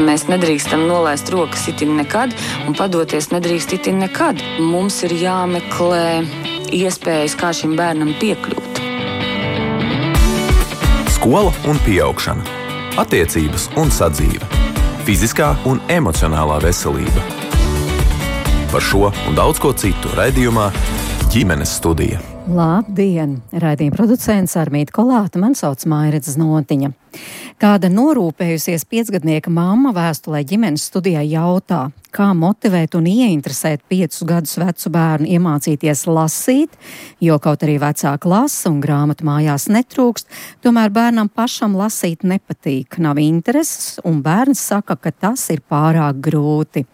Mēs nedrīkstam nolaist rokas itin nekad un padoties nedrīkst itin nekad. Mums ir jāmeklē iespējas, kā šim bērnam piekļūt. Skola un pieaugšana, attiecības un sadzīve, fiziskā un emocionālā veselība. Par šo un daudz ko citu raidījumā Ģimenes studija. Labdien! Raidījuma producents Armīta Kolāta, man sauc Mairits Znotiņa. Kāda norūpējusies 5-gadnieka mamma vēstulē Ģimenes studijai jautā, kā motivēt un ieinteresēt 5 gadus vecu bērnu iemācīties lasīt, jo kaut arī vecāka lasa un grāmatu mājās netrūkst, tomēr bērnam pašam lasīt nepatīk, nav intereses, un bērns saka, ka tas ir pārāk grūti.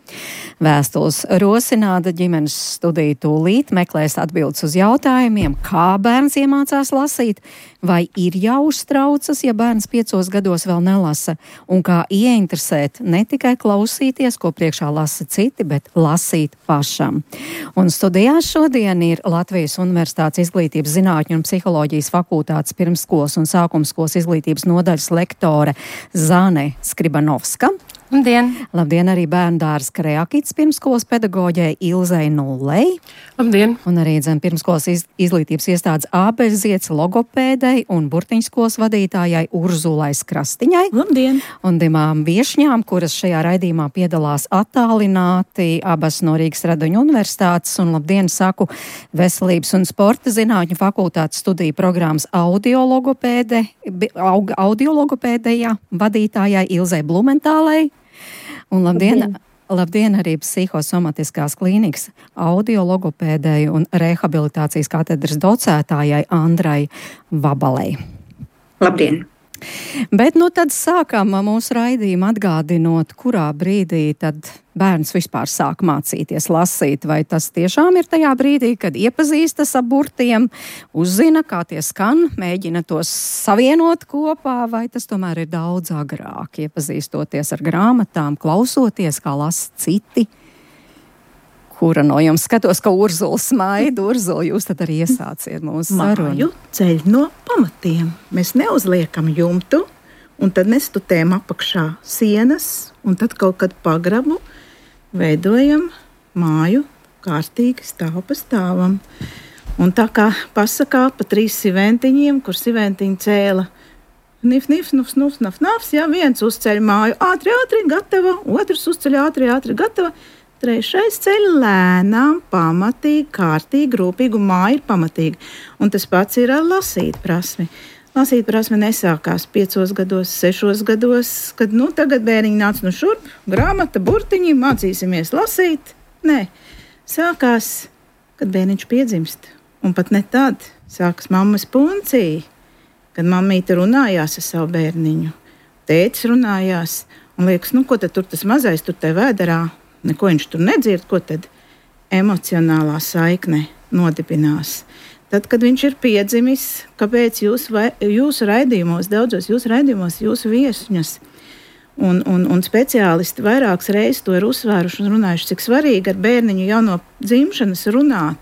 Vēstules rosināta Ģimenes studija tūlīt meklēs atbildes uz jautājumiem, kā bērns iemācās lasīt, vai ir jāuztraucas, ja bērns 5 gados vēl nelasa, un kā ieinteresēt ne tikai klausīties, ko priekšā lasa citi, bet lasīt pašam. Un studijā šodien ir Latvijas Universitātes Izglītības zinātņu un psiholoģijas fakultātes pirmsskolas un sākumskolas izglītības nodaļas lektore Zane Skribanovska. Labdien! Labdien arī bērnu dārza Kreakits pirmskolas pedagoģei Ilzei Nullei. Labdien! Un arī pirmskolas izglītības iestādes Ābeļziets logopēdei un burtiņskolas vadītājai Urzulai Skrastiņai. Labdien! Un divām viešņām, kuras šajā raidījumā piedalās attālināti, abas no Rīgas Radoņu universitātes, un labdien saku Veselības un sporta zinātņu fakultātes studiju programmas audiologopēdejā vadītājai Ilzei Blumentālei. Un labdien arī psihosomatiskās klīnikas audiologopēdēju un rehabilitācijas katedras docētājai Andrai Vabalei. Labdien! Bet tad sākam mūsu raidījumu atgādinot, kurā brīdī tad bērns vispār sāk mācīties lasīt. Vai tas tiešām ir tajā brīdī, kad iepazīstas ar burtiem, uzzina, kā tie skan, mēģina tos savienot kopā, vai tas tomēr ir daudz agrāk, iepazīstoties ar grāmatām, klausoties, kā lasa citi? Kura no jums? Skatos, ka Urzula smaida. Urzula, jūs tad arī iesāciet mūsu sarunu. Māju ceļ no pamatiem. Mēs neuzliekam jumtu, un tad mēs tutējam apakšā sienas, un tad kaut kad pagrabu veidojam māju kārtīgi stāv pa stāvam. Un tā kā pasakā pa 3 siventiņiem, kur siventiņi cēla nif, nuf, nuf, naf, nafs, jā, viens uzceļ māju ātri, gatava, otrs uzceļ ātri, gatava. 3. ceļ lēnām, pamatīgi, kārtīgi, rūpīgi, un māja ir pamatīga. Un tas pats ir ar lasīt prasmi. Lasīt prasme nesākās 5 gados, 6 gados, kad tagad bērniņi nāc no šurp, grāmata, burtiņi, mācīsimies lasīt. Nē, sākās, kad bērniņš piedzimst. Un pat ne tad sākas mammas puncija, kad mammīte runājās ar savu bērniņu. Tētis runājās, un liekas, ko tad tur tas mazais tur te vēderā? Neko viņš tur nedzird, ko tad emocionālā saikne nodibinās. Tad, kad viņš ir piedzimis, kāpēc jūsu raidījumos, daudzos jūsu raidījumos, jūsu viesņas un speciālisti vairākas reizes to ir uzsvēruši un runājuši, cik svarīgi ar bērniņu jau no dzimšanas runāt,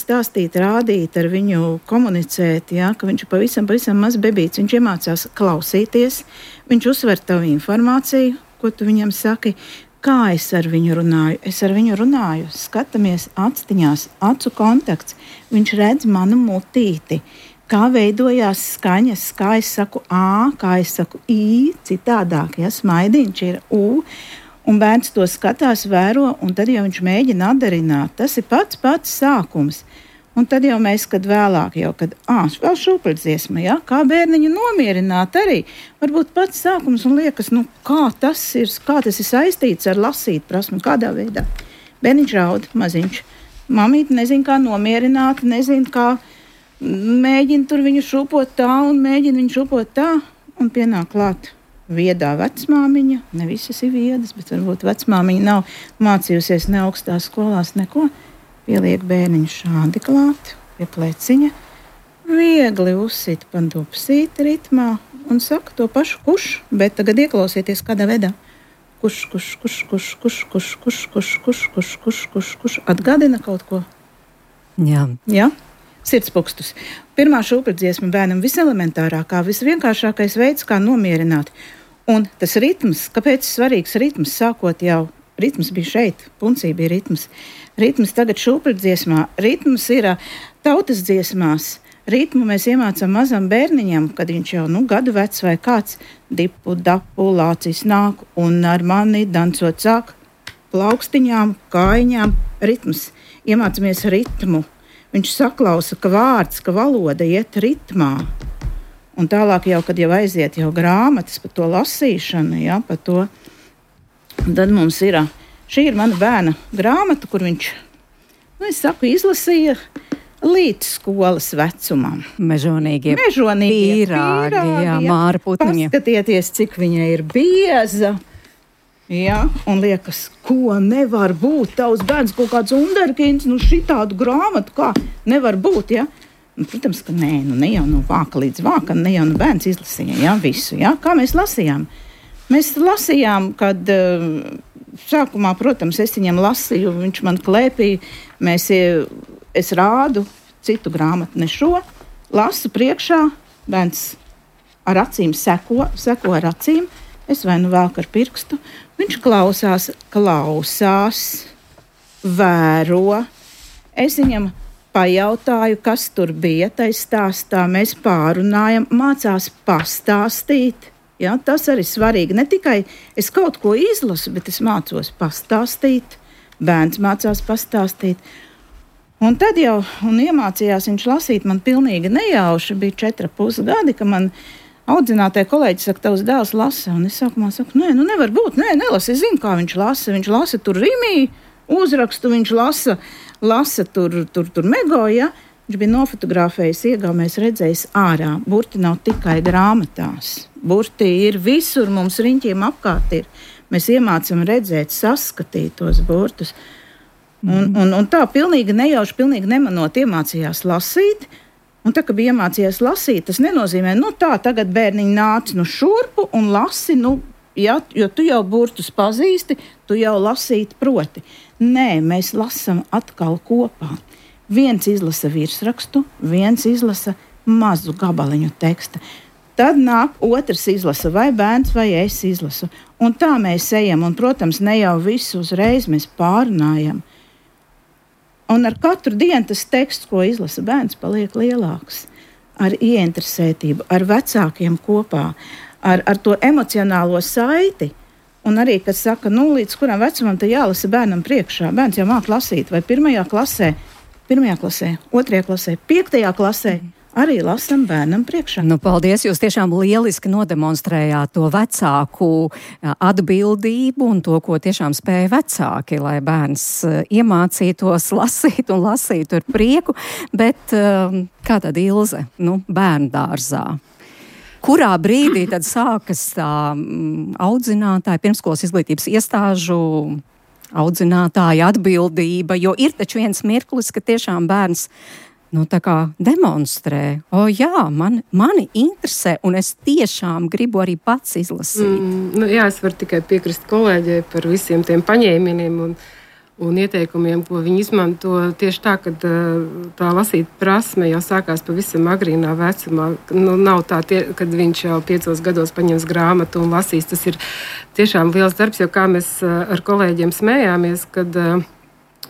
stāstīt, rādīt, ar viņu komunicēt, ja, ka viņš ir pavisam maz bebīts, viņš iemācās klausīties, viņš uzsver tavu informāciju, ko tu viņam saki. Kā es ar viņu runāju? Es ar viņu runāju, skatāmies actiņās, acu kontakts. Viņš redz manu mutīti, kā veidojās skaņas, kā es saku A, kā es saku I, citādāk, ja smaidiņš ir U. Un bērns to skatās, vēro, un tad jau viņš mēģina atdarināt. Tas ir pats sākums. Un tad jau mēs, kad vēlāk, vēl šūpuļdziesma, ja? Kā bērniņu nomierināt arī. Varbūt pats sākums un liekas, kā tas ir saistīts ar lasīt prasmi, kādā veidā. Bērniņš raud, maziņš. Mamīte nezin, kā nomierināt, nezin, kā mēģina tur viņu šūpot tā un mēģina viņu šūpot tā. Un pienāk klāt viedā vecmāmiņa. Ne visas ir viedas, bet varbūt vecmāmiņa nav mācījusies ne augstās skolās neko. Pieliek bērniņu šādi klāt, pie pleciņa, viegli uzsit pa dupsīt ritmā un saka to pašu kuš, bet tagad ieklausieties kādā veidā. Kuš, atgādina kaut ko? Jā? Sirdspūkstus. Pirmā šūpuļdziesma bērnam viselementārākā, visvienkāršākais veids, kā nomierināt. Un tas ritms, kāpēc svarīgs ritms, sākot jau, ritms bija šeit, puncī bija ritms. Ritms tagad šūpļdziesmā, ritms ir tautas dziesmās. Ritmu mēs iemācām mazam bērniņam, kad viņš jau gadu vecs vai kāds dipu, dapu, lācis nāk un ar mani dancot sāk plaukstiņām, kājiņām. Ritms. Iemācāmies ritmu. Viņš saklausa, ka vārds, ka valoda iet ritmā. Un tālāk jau, kad jau aiziet jau grāmatas par to lasīšanu, ja, par to, tad mums ir, šī ir mana bērna grāmata, kur viņš, izlasīja līdz skolas vecumam. Mežonīgie pīrāgi, jā, Māra Putniņa. Paskatieties, cik viņa ir bieza. Jā, un liekas, ko nevar būt. Tavs bērns kaut kāds underkins, šitādu grāmatu, kā nevar būt, ja? Protams, ka nē, ne jau no vāka līdz vākam, ne jau no bērns izlasīja, ja, visu, ja? Kā mēs lasījām? Mēs lasījām, kad sākumā, protams, es viņam lasīju, viņš man klēpīja, es rādu citu grāmatu, ne šo, lasu priekšā, bērns ar acīm seko ar acīm, es vai velku ar pirkstu, viņš klausās, vēro, es viņam pajautāju, kas tur bija, tai stāstā, mēs pārunājam, mācās pastāstīt, ja, tas arī svarīgi, ne tikai es kaut ko izlasu, bet es mācos pastāstīt, bērns mācās pastāstīt. Un tad jau iemācījās viņš lasīt man pilnīgi nejauši, bija 4,5 gadi, ka man audzinātāja kolēģi saka, tavs dēls lasa, un es sākumā saku, nevar būt, nelasa, es zinu, kā viņš lasa tur rimī, uzrakstu, viņš lasa tur mego, ja, viņš bija nofotografējis, iegaumējis, redzējis ārā, burti nav tikai grāmatās, burti ir visur, mums riņķiem apkārt ir, mēs iemācam redzēt, saskatīt tos burtus. Un tā pilnīgi nejauši, pilnīgi nemanot iemācījās lasīt, un tā, ka bija iemācījās lasīt, tas nenozīmē, tā, tagad bērniņi nāc šurpu un lasi, ja, jo tu jau burtus pazīsti, tu jau lasīt proti. Nē, mēs lasam atkal kopā. Viens izlasa virsrakstu, viens izlasa mazu gabaliņu teksta. Tad nāk otrs izlasa, vai bērns, vai es izlasu. Un tā mēs ejam, un, protams, ne jau visu uzreiz mēs pārunājam. Un ar katru dienu tas teksts, ko izlasa bērns, paliek lielāks. Ar ieinteresētību, ar vecākiem kopā, ar to emocionālo saiti. Un arī, kad saka, līdz kuram vecumam te jālasa bērnam priekšā. Bērns jau māk lasīt, vai 1. klasē, 2. klasē, 5. klasē. Arī lasam bērnam priekšā. Paldies, jūs tiešām lieliski nodemonstrējāt to vecāku atbildību un to, ko tiešām spēja vecāki, lai bērns iemācītos lasīt un lasīt ar prieku. Bet kā tad Ilze, bērnu dārzā? Kurā brīdī tad sākas tā audzinātāja, pirmskolas izglītības iestāžu audzinātāja atbildība, jo ir taču viens mirklis, ka tiešām bērns tā kā demonstrē, jā, mani interesē, un es tiešām gribu arī pats izlasīt. Jā, es varu tikai piekrist kolēģei par visiem tiem paņēmieniem un ieteikumiem, ko viņi izmanto. Tieši tā, ka tā lasīt prasme jau sākās pavisam agrīnā vecumā. Nav tā, kad viņš jau 5 gados paņems grāmatu un lasīs. Tas ir tiešām liels darbs, jo kā mēs ar kolēģiem smējāmies, kad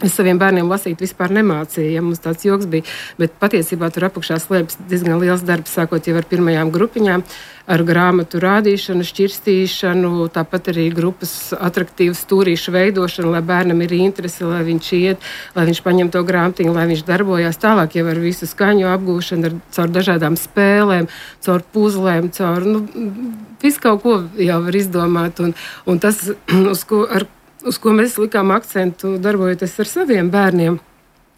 es saviem bērniem lasīt vispār nemācīju, ja mums tāds joks bija, bet patiesībā tur apakšā slēpjas diezgan liels darbs, sākot jau ar pirmajām grupiņām, ar grāmatu rādīšanu, šķirstīšanu, tāpat arī grupas atraktīvu stūrīšu veidošanu, lai bērnam ir interese, lai viņš iet, lai viņš paņem to grāmatiņu, lai viņš darbojās tālāk jau ar visu skaņu apgūšanu, caur dažādām spēlēm, caur puzlēm, caur, visu kaut ko jau var izdomāt, un tas, uz ko mēs likām akcentu, darbojoties ar saviem bērniem.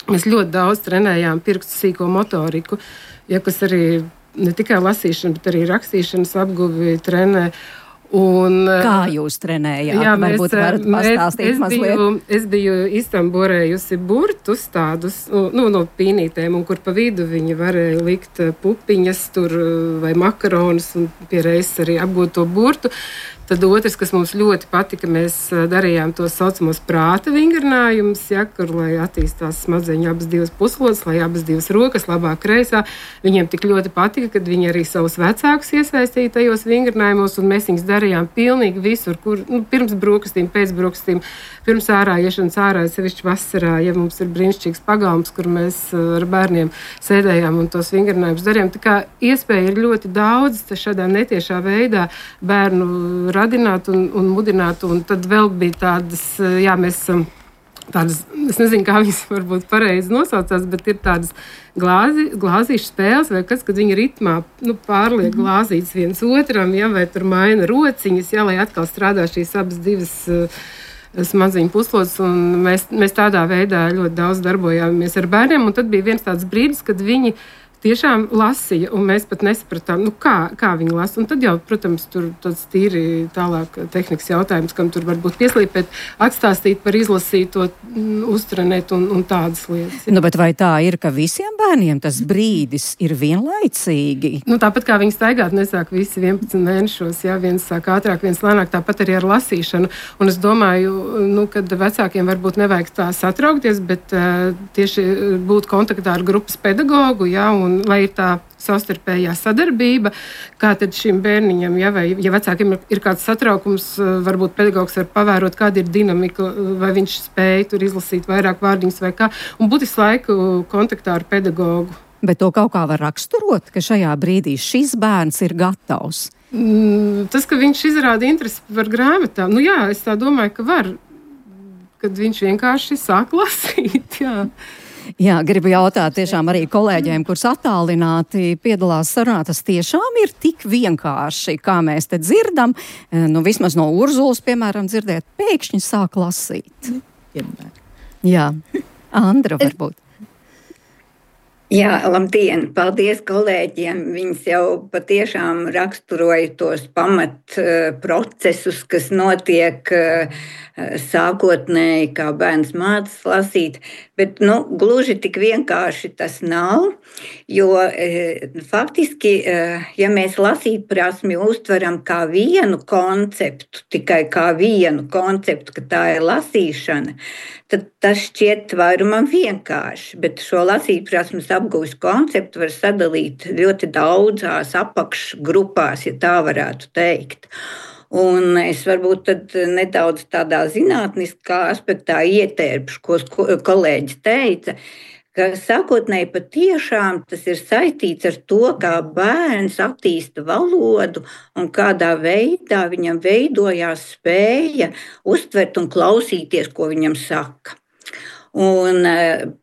Mēs ļoti daudz trenējām pirkstu sīko motoriku, kas arī ne tikai lasīšana, bet arī rakstīšanas apguvi trenē. Kā jūs trenējāt? Jā, varbūt varat pastāstīt mazliet. Es biju iztamborējusi burtus tādus, no pīnītēm, un kur pa vidu viņi varēja likt pupiņas tur vai makaronus, un pie reizes arī apgūt to burtu. Tad otrs, kas mums ļoti patika, mēs darījām tos saucamos prāta vingrinājumus, kur, lai attīstās smadzeņu abas divas puslodes, lai abas divas rokas, labā kreisā. Viņiem tik ļoti patika, kad viņi arī savus vecākus iesaistīja tajos vingrinājumos, un mēs viņus darījām pilnīgi visur, kur pirms brokastīm, pēc brokastīm, pirms ārā iešanas ārā, sevišķi vasarā, ja mums ir brīnišķīgs pagalms, kur mēs ar bērniem sēdējām un tos vingrinājumus darījām. Tā kā iespēja ir ļoti daudz šādā netiešā veidā bērnu radināt un mudināt, un tad vēl bija tādas, mēs esam tādas, es nezinu, kā viņas varbūt pareizi nosaucās, bet ir tādas glāzīšu spēles, vai kas, kad viņi ritmā pārliek glāzītes viens otram, vai tur maina rociņas, lai atkal strādā šīs abas divas smadzeņu puslodes, un mēs tādā veidā ļoti daudz darbojāmies ar bērniem, un tad bija viens tāds brīdis, kad viņi tiešām lasīja, un mēs pat nesapratām, kā viņi lasa. Un tad jau, protams, tur tāds tīri tālāk tehnikas jautājums, kam tur varbūt pieslīpēt, atstāstīt par izlasīto, uztrenēt un tādas lietas. Ja. Bet vai tā ir, ka visiem bērniem tas brīdis ir vienlaicīgi? Tāpat kā viņi staigāt nesāk visi 11 mēnešos, viens sāk ātrāk, viens lēnāk, tāpat arī ar lasīšanu. Un es domāju, kad vecākiem varbūt nevajag tā satraukties, bet tieši būt kontaktā ar grupas pedagogu, un lai ir tā savstarpējā sadarbība, kā tad šim bērniņam, vai ja vecākiem ir kāds satraukums, varbūt pedagogs var pavērot, kāda ir dinamika, vai viņš spēj tur izlasīt vairāk vārdiņus vai kā, un būt visu laiku kontaktā ar pedagogu. Bet to kaut kā var raksturot, ka šajā brīdī šis bērns ir gatavs? Tas, ka viņš izrāda interesi par grāmatām, es tā domāju, ka var, kad viņš vienkārši sāk lasīt, Jā, gribu jautāt tiešām arī kolēģiem, kurus attālināti piedalās sarunā, tas tiešām ir tik vienkārši, kā mēs te dzirdam, vismaz no Urzulas, piemēram, dzirdēt, pēkšņi sāk lasīt. Jā, Andra varbūt. Jā, labdien! Paldies kolēģiem! Viņas jau patiešām raksturoja tos pamat procesus, kas notiek sākotnēji, kā bērns mācās lasīt, bet gluži tik vienkārši tas nav, jo faktiski, ja mēs lasīt prasmi uztveram kā vienu konceptu, tikai kā vienu konceptu, ka tā ir lasīšana, tad tas šķiet vairumam vienkārši, bet šo lasīt prasmes apgūves konceptu var sadalīt ļoti daudzās apakšgrupās, ja tā varētu teikt. Un es varbūt tad nedaudz tādā zinātniskā aspektā ietērpšu, ko kolēģis teica, ka sākotnēji patiešām tas ir saistīts ar to, kā bērns attīsta valodu un kādā veidā viņam veidojās spēja uztvert un klausīties, ko viņam saka. Un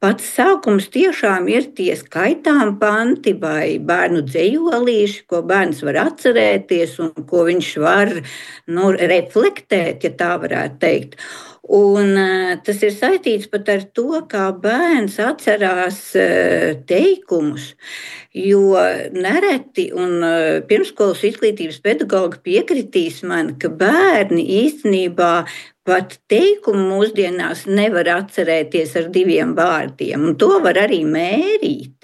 pats sākums tiešām ir tie skaitām panti vai bērnu dzejolīši, ko bērns var atcerēties un ko viņš var reflektēt, ja tā varētu teikt. Un tas ir saistīts pat ar to, kā bērns atcerās teikumus, jo nereti un pirmskolas izglītības pedagogi piekritīs man, ka bērni īstenībā pat teikumu mūsdienās nevar atcerēties ar 2 vārdiem, un to var arī mērīt.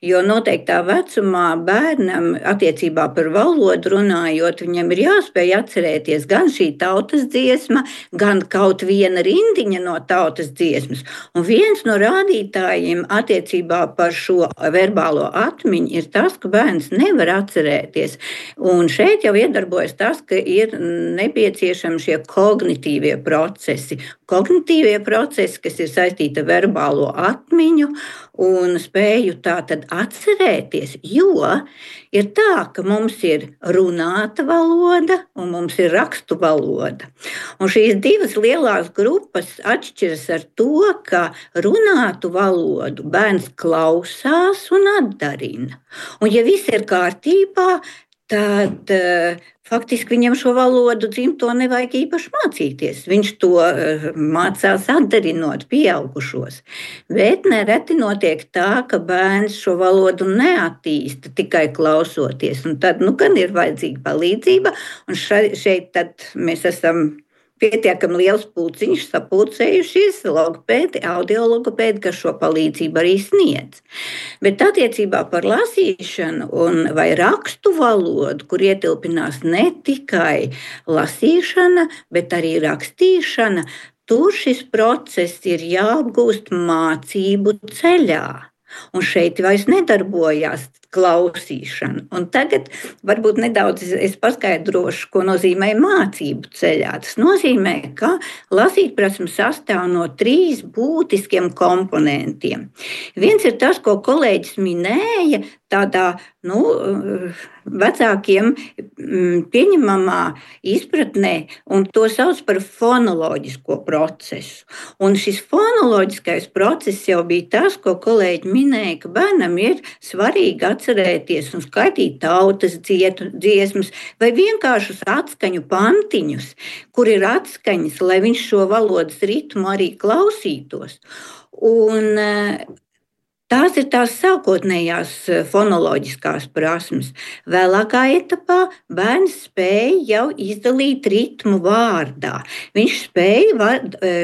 Jo noteiktā vecumā bērnam attiecībā par valodu runājot, viņam ir jāspēj atcerēties gan šī tautas dziesma, gan kaut viena rindiņa no tautas dziesmas. Un viens no rādītājiem attiecībā par šo verbālo atmiņu ir tas, ka bērns nevar atcerēties. Un šeit jau iedarbojas tas, ka ir nepieciešami šie kognitīvie procesi. Kognitīvie procesi, kas ir saistīti ar verbālo atmiņu un spēju tātad atcerēties, jo ir tā, ka mums ir runāta valoda un mums ir rakstu valoda. Un šīs 2 lielās grupas atšķiras ar to, ka runātu valodu bērns klausās un atdarina. Un ja viss ir kārtībā, tad faktiski viņam šo valodu dzimto nevajag īpaši mācīties. Viņš to mācās atdarinot pieaugušos. Bet nereti notiek tā, ka bērns šo valodu neattīsta tikai klausoties. Un tad gan ir vajadzīga palīdzība. Un šeit tad mēs esam pietiekami liels pulciņš sapulcējušies logopēdi, audiologopēdi, kas šo palīdzību arī sniedz. Bet attiecībā par lasīšanu vai rakstu valodu, kur ietilpinās ne tikai lasīšana, bet arī rakstīšana, tur šis process ir jāapgūst mācību ceļā. Un šeit vairs nedarbojās klausīšana. Un tagad varbūt nedaudz es paskaidrošu, ko nozīmē mācību ceļā. Tas nozīmē, ka lasītprasme sastāv no 3 būtiskiem komponentiem. Viens ir tas, ko kolēģis minēja, tādā vecākiem pieņemamā izpratnē, un to sauc par fonoloģisko procesu. Un šis fonoloģiskais process jau bija tas, ko kolēģi minēja, ka bērnam ir svarīgi atcerēties un skaitīt tautas dziesmas vai vienkāršus atskaņu pantiņus, kur ir atskaņas, lai viņš šo valodas ritmu arī klausītos. Un tās ir tās sākotnējās fonoloģiskās prasmes. Vēlākā etapā bērns spēja jau izdalīt ritmu vārdā. Viņš spēja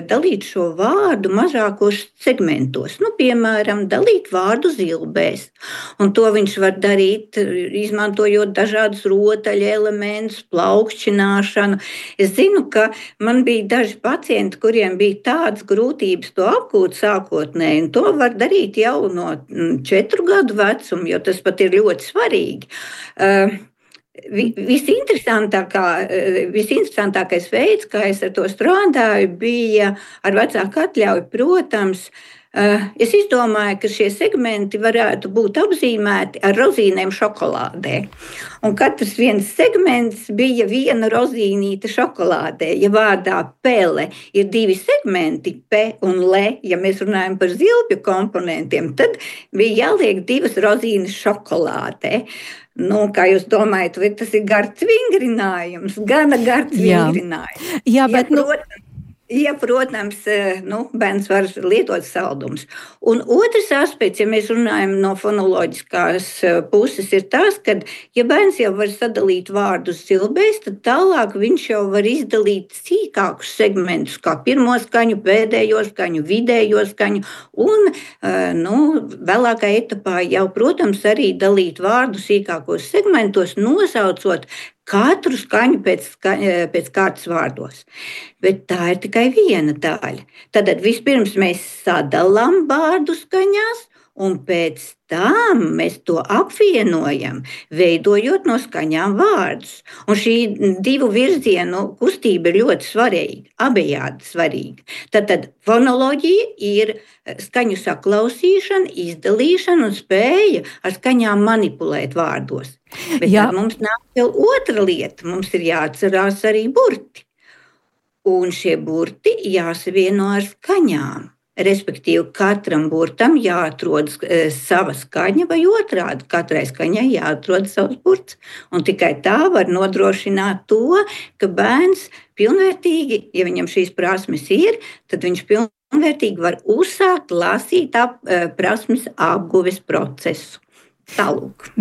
dalīt šo vārdu mazākos segmentos. Piemēram, dalīt vārdu zilbēs. Un to viņš var darīt, izmantojot dažādus rotaļu elementus, plaukšķināšanu. Es zinu, ka man bija daži pacienti, kuriem bija tādas grūtības to apgūt sākotnēji, un to var darīt jau no 4 gadu vecuma, jo tas pat ir ļoti svarīgi. Visinteresantākais veids, kā es ar to strādāju, bija ar vecāku atļauju, protams. Es izdomāju, ka šie segmenti varētu būt apzīmēti ar rozīnēm šokolādē. Un katrs viens segments bija viena rozīnīte šokolādē. Ja vārdā pele ir 2 segmenti, P un L, ja mēs runājam par zilbju komponentiem, tad bija jāliek 2 rozīnes šokolādē. Kā jūs domājat, vai tas ir gards vingrinājums? Gana gards vingrinājums. Jā, bet protams, bērns var lietot saldumus. Un otrs aspekts, ja mēs runājam no fonoloģiskās puses, ir tas, ka, ja bērns jau var sadalīt vārdus zilbēs, tad tālāk viņš jau var izdalīt sīkākus segmentus, kā pirmo skaņu, pēdējo skaņu, vidējo skaņu, un vēlākā etapā jau, protams, arī dalīt vārdu sīkākos segmentos, nosaucot katru skaņu pēc kārtas vārdos. Bet tā ir tikai viena daļa. Tad vispirms mēs sadalām vārdu skaņās, un pēc tam mēs to apvienojam, veidojot no skaņām vārdus. Un šī 2 virzienu kustība ir ļoti svarīga, abejādi svarīga. Tad fonoloģija ir skaņu saklausīšana, izdalīšana un spēja ar skaņām manipulēt vārdos. Bet tad mums nāk vēl otra lieta. Mums ir jāatcerās arī burti. Un šie burti jāsavieno ar skaņām. Respektīvi, katram burtam jāatrod sava skaņa vai otrādi. Katrai skaņai jāatrod savs burts. Un tikai tā var nodrošināt to, ka bērns pilnvērtīgi, ja viņam šīs prasmes ir, tad viņš pilnvērtīgi var uzsākt lasīt prasmes apguves procesu. Tālūk,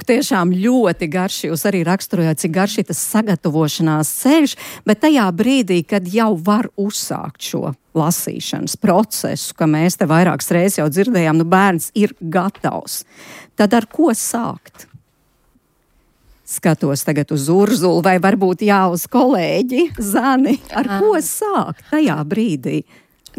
tiešām ļoti garš. Jūs arī raksturojāt, cik garš ir tas sagatavošanās ceļš, bet tajā brīdī, kad jau var uzsākt šo lasīšanas procesu, ka mēs te vairākas reizes jau dzirdējām, bērns ir gatavs. Tad ar ko sākt? Skatos tagad uz Urzulu vai varbūt uz kolēģi Zani. Ar ko sākt tajā brīdī?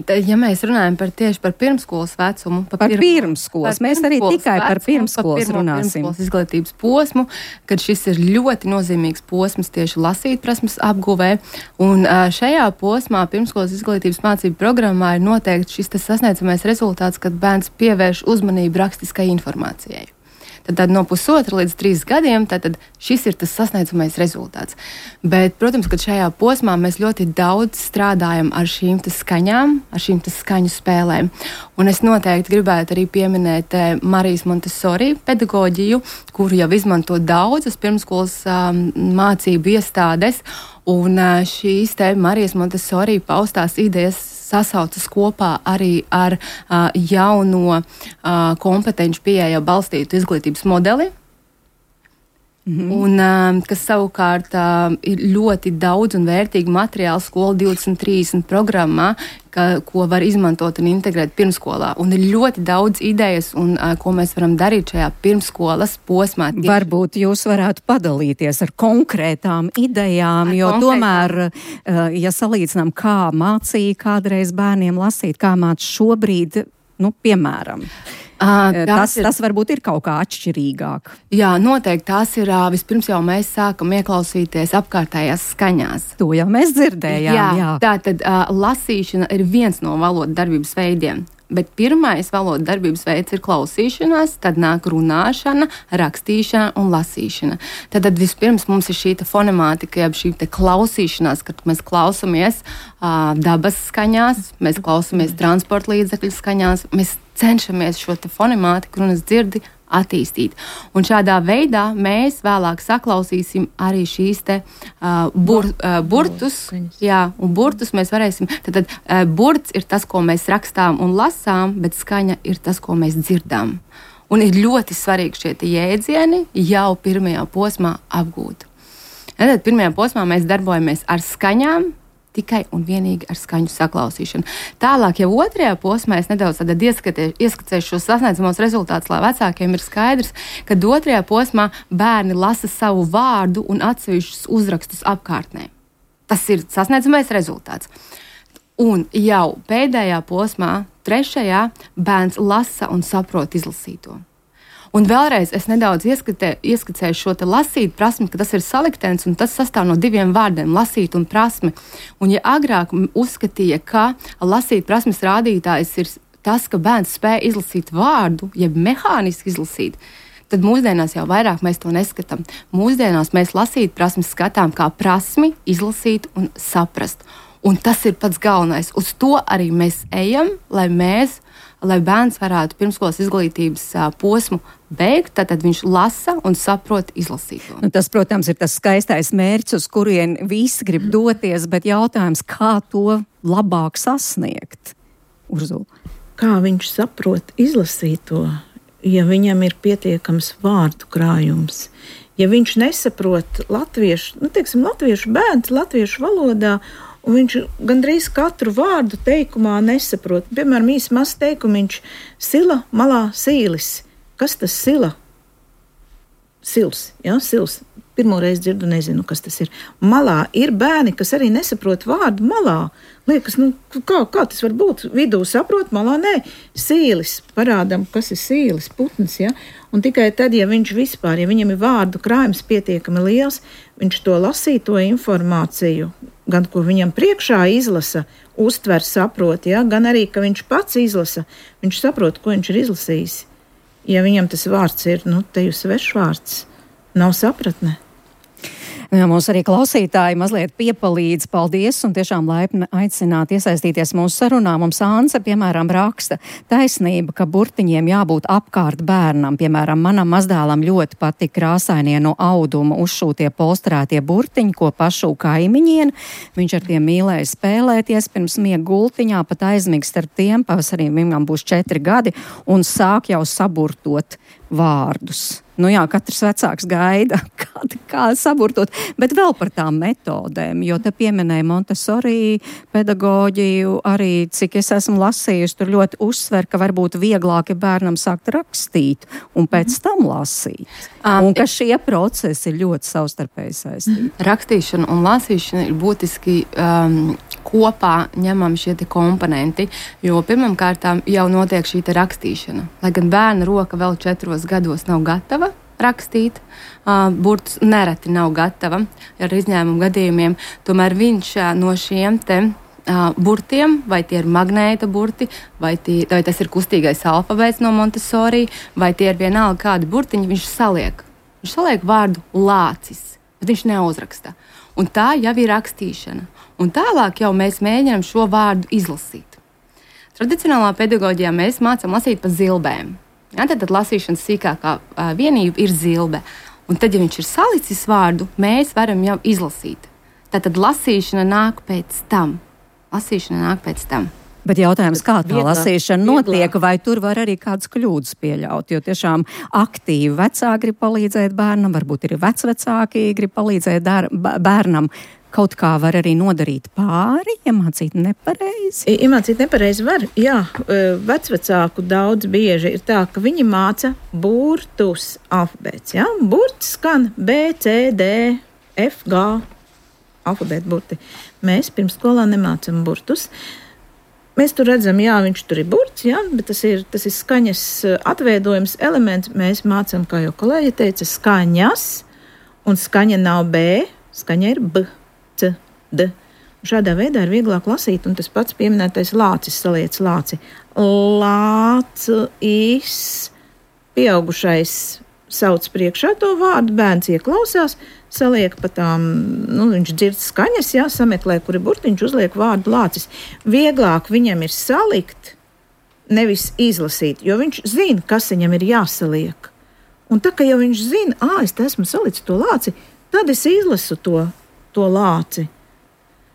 Ja mēs runājam tieši par pirmskolas vecumu, pirmskolas, mēs arī tikai par pirmskolas runāsim. Pirmskolas izglītības posmu, kad šis ir ļoti nozīmīgs posms tieši lasītprasmes apguvē. Un šajā posmā pirmskolas izglītības mācību programmā ir noteikti šis sasniedzamais rezultāts, kad bērns pievērš uzmanību rakstiskai informācijai. Tad no 1,5 līdz 3 gadiem tad šis ir tas sasniedzamais rezultāts. Bet, protams, ka šajā posmā mēs ļoti daudz strādājam ar šīm skaņām, ar šīm skaņu spēlēm. Un es noteikti gribētu arī pieminēt Marijas Montessori pedagoģiju, kuru jau izmanto daudzas pirmskolas mācību iestādes. Un šīs Marijas Montessori paustās idejas sasaucas kopā arī ar jauno kompetenci pieeja balstītu izglītības modeli. Un, kas savukārt ir ļoti daudz un vērtīgi materiāli skolu 2030 programmā, ko var izmantot un integrēt pirmskolā. Un ir ļoti daudz idejas, un ko mēs varam darīt šajā pirmskolas posmā. Varbūt jūs varētu padalīties ar konkrētām idejām, jo tomēr, ja salīdzinām, kā mācīja kādreiz bērniem lasīt, kā māc šobrīd, piemēram. Tas varbūt ir kaut kā atšķirīgāk. Jā, noteikti tās ir. Vispirms jau mēs sākam ieklausīties apkārtējās skaņās. To jau mēs dzirdējām. Jā. Tātad lasīšana ir viens no valodas darbības veidiem. Bet pirmais valodas darbības veids ir klausīšanās, tad nāk runāšana, rakstīšana un lasīšana. Tad vispirms mums ir šī fonemātika, jeb šī klausīšanās, kad mēs klausamies dabas skaņās, mēs klausamies transporta līdzekļu skaņās, mēs cenšamies šo fonemātiku runas dzirdi attīstīt. Un šādā veidā mēs vēlāk saklausīsim arī šīs burtus. Jā, un burtus mēs varēsim. Tad burts ir tas, ko mēs rakstām un lasām, bet skaņa ir tas, ko mēs dzirdam. Un ir ļoti svarīgi šie jēdzieni jau pirmajā posmā apgūt. Tad pirmajā posmā mēs darbojamies ar skaņām, tikai un vienīgi ar skaņu saklausīšanu. Tālāk, jau otrajā posmā es nedaudz ieskicēšu šos sasniedzamos rezultātus, lai vecākiem ir skaidrs, ka otrajā posmā bērni lasa savu vārdu un atsevišķus uzrakstus apkārtnē. Tas ir sasniedzamais rezultāts. Un jau pēdējā posmā, trešajā, bērns lasa un saprot izlasīto. Un vēlreiz es nedaudz ieskicēju šo lasīt prasmi, ka tas ir saliktens un tas sastāv no diviem vārdiem - lasīt un prasme. Un ja agrāk uzskatīja, ka lasīt prasmes rādītājs ir tas, ka bērns spēj izlasīt vārdu, jeb mehāniski izlasīt, tad mūsdienās jau vairāk mēs to neskatām. Mūsdienās mēs lasīt prasmes skatām kā prasmi izlasīt un saprast. Un tas ir pats galvenais. Uz to arī mēs ejam, lai bērns varētu pirmskolas izglītības posmu beigt, tad viņš lasa un saprot izlasīto. Tas, protams, ir tas skaistais mērķis, uz kurien visi grib doties, bet jautājums, kā to labāk sasniegt? Urzula. Kā viņš saprot izlasīto, ja viņam ir pietiekams vārdu krājums? Ja viņš nesaprot latviešu bērns, latviešu valodā, un viņš gandrīz katru vārdu teikumā nesaprot. Piemēram, īsi mazs teikumiņš - sila, malā, sīlis. Kas tas sila? Sils, jā, sils. Pirmoreiz dzirdu, nezinu, kas tas ir. Malā ir bērni, kas arī nesaprot vārdu malā. Liekas, kā tas var būt? Vidū saprot, malā nē. Sīlis, parādam, kas ir sīlis, putns, jā. Un tikai tad, ja viņam ir vārdu krājums pietiekami liels, viņš to lasīto informāciju, gan ko viņam priekšā izlasa, uztver, saprot, ja? Gan arī, ka viņš pats izlasa, viņš saprot, ko viņš ir izlasījis. Ja viņam tas vārds ir, te jūs svešvārds, nav sapratne. Jā, mums arī klausītāji mazliet piepalīdz, paldies, un tiešām laipni aicināt iesaistīties mūsu sarunā. Mums Ānce, piemēram, raksta taisnība, ka burtiņiem jābūt apkārt bērnam. Piemēram, manam mazdēlam ļoti patīk krāsainie no auduma uzšūtie polstrētie burtiņi, ko pašu kaimiņien. Viņš ar tiem mīlēja spēlēties, pirms miega gultiņā, pat aizmigst ar tiem, pavasarī viņam būs 4 gadi, un sāk jau saburtot vārdus. Jā, katrs vecāks gaida, kā saburtot, bet vēl par tām metodēm, jo te pieminēja Montessori pedagoģiju, arī cik es esmu lasījusi, tur ļoti uzsver, ka varbūt vieglāk ir bērnam sākt rakstīt un pēc tam lasīt. Un ka šie procesi ir ļoti savstarpēji saistīti. Rakstīšana un lasīšana ir būtiski kopā ņemam šie komponenti, jo pirmam kārtām jau notiek šī rakstīšana. Lai gan bērna roka vēl 4 gados nav gatava rakstīt, burts nereti nav gatava ar izņēmumu gadījumiem, tomēr viņš no šiem burtiem, vai tie ir magnēta burti, vai tas ir kustīgais alfabēts no Montessori, vai tie ir vienalga kādi burtiņi, viņš saliek. Viņš saliek vārdu lācis, bet viņš neuzraksta. Un tā jau ir rakstīšana. Un tālāk jau mēs mēģinām šo vārdu izlasīt. Tradicionālā pedagoģijā mēs mācām lasīt pa zilbēm. Ja, tad lasīšanas sīkākā vienība ir zilbe. Un tad, ja viņš ir salicis vārdu, mēs varam jau izlasīt. Tad lasīšana nāk pēc tam. Bet jautājums, kā tā lasīšana notiek, vai tur var arī kādas kļūdas pieļaut, jo tiešām aktīvi vecāki grib palīdzēt bērnam, varbūt ir vecvecāki grib palīdzēt bērnam. Kaut kā var arī nodarīt pāri, iemācīt nepareizi? Iemācīt nepareizi var, jā. Vecvecāku daudz bieži ir tā, ka viņi māca burtus alfabēts, jā. Burts skan B, C, D, F, G, alfabēta burti. Mēs pirmsskolā nemācam burtus. Mēs tur redzam, jā, viņš tur ir burts, jā, bet tas ir skaņas atveidojums elements. Mēs mācām, kā jau kolēģi teica, skaņas, un skaņa nav B, skaņa ir B, C, D. Šādā veidā ir vieglāk lasīt, un tas pats pieminētais lācis, saliec lāci. Lācis, pieaugušais sauc priekšā to vārdu, bērns ieklausās, saliek pa tām, viņš dzird skaņas, jā, sameklē, kur ir burtiņš, uzliek vārdu lācis. Vieglāk viņam ir salikt, nevis izlasīt, jo viņš zina, kas viņam ir jāsaliek. Un tā, ka jau viņš zina, es te esmu salicis to lāci, tad es izlasu to lāci.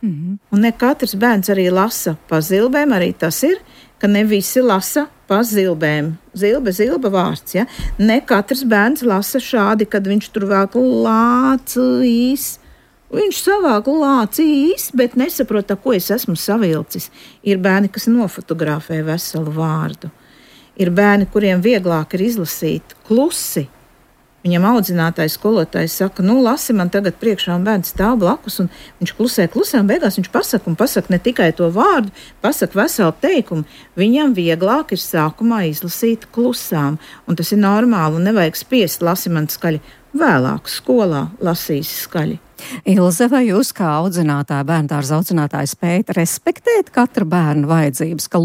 Un ne katrs bērns arī lasa pa zilbēm, arī tas ir, ka ne visi lasa pa zilbēm. Zilba vārds, ja? Ne katrs bērns lasa šādi, kad viņš tur vēl lācīs. Viņš savāk lācīs, bet nesaprot, ko es esmu savilcis. Ir bērni, kas nofotografē veselu vārdu. Ir bērni, kuriem vieglāk ir izlasīt klusi. Viņam audzinātājs, skolotājs saka, lasi man tagad priekšā, un bērns stāv blakus, un viņš klusē, un beigās viņš pasaka ne tikai to vārdu, pasaka veselu teikumu. Viņam vieglāk ir sākumā izlasīt klusām, un tas ir normāli, un nevajag spiest, lasi man skaļi. Vēlāk skolā lasīs skaļi. Ilze, vai jūs kā audzinātāja, bērndārza audzinātāja spējat respektēt katra bērna vajadzības, ka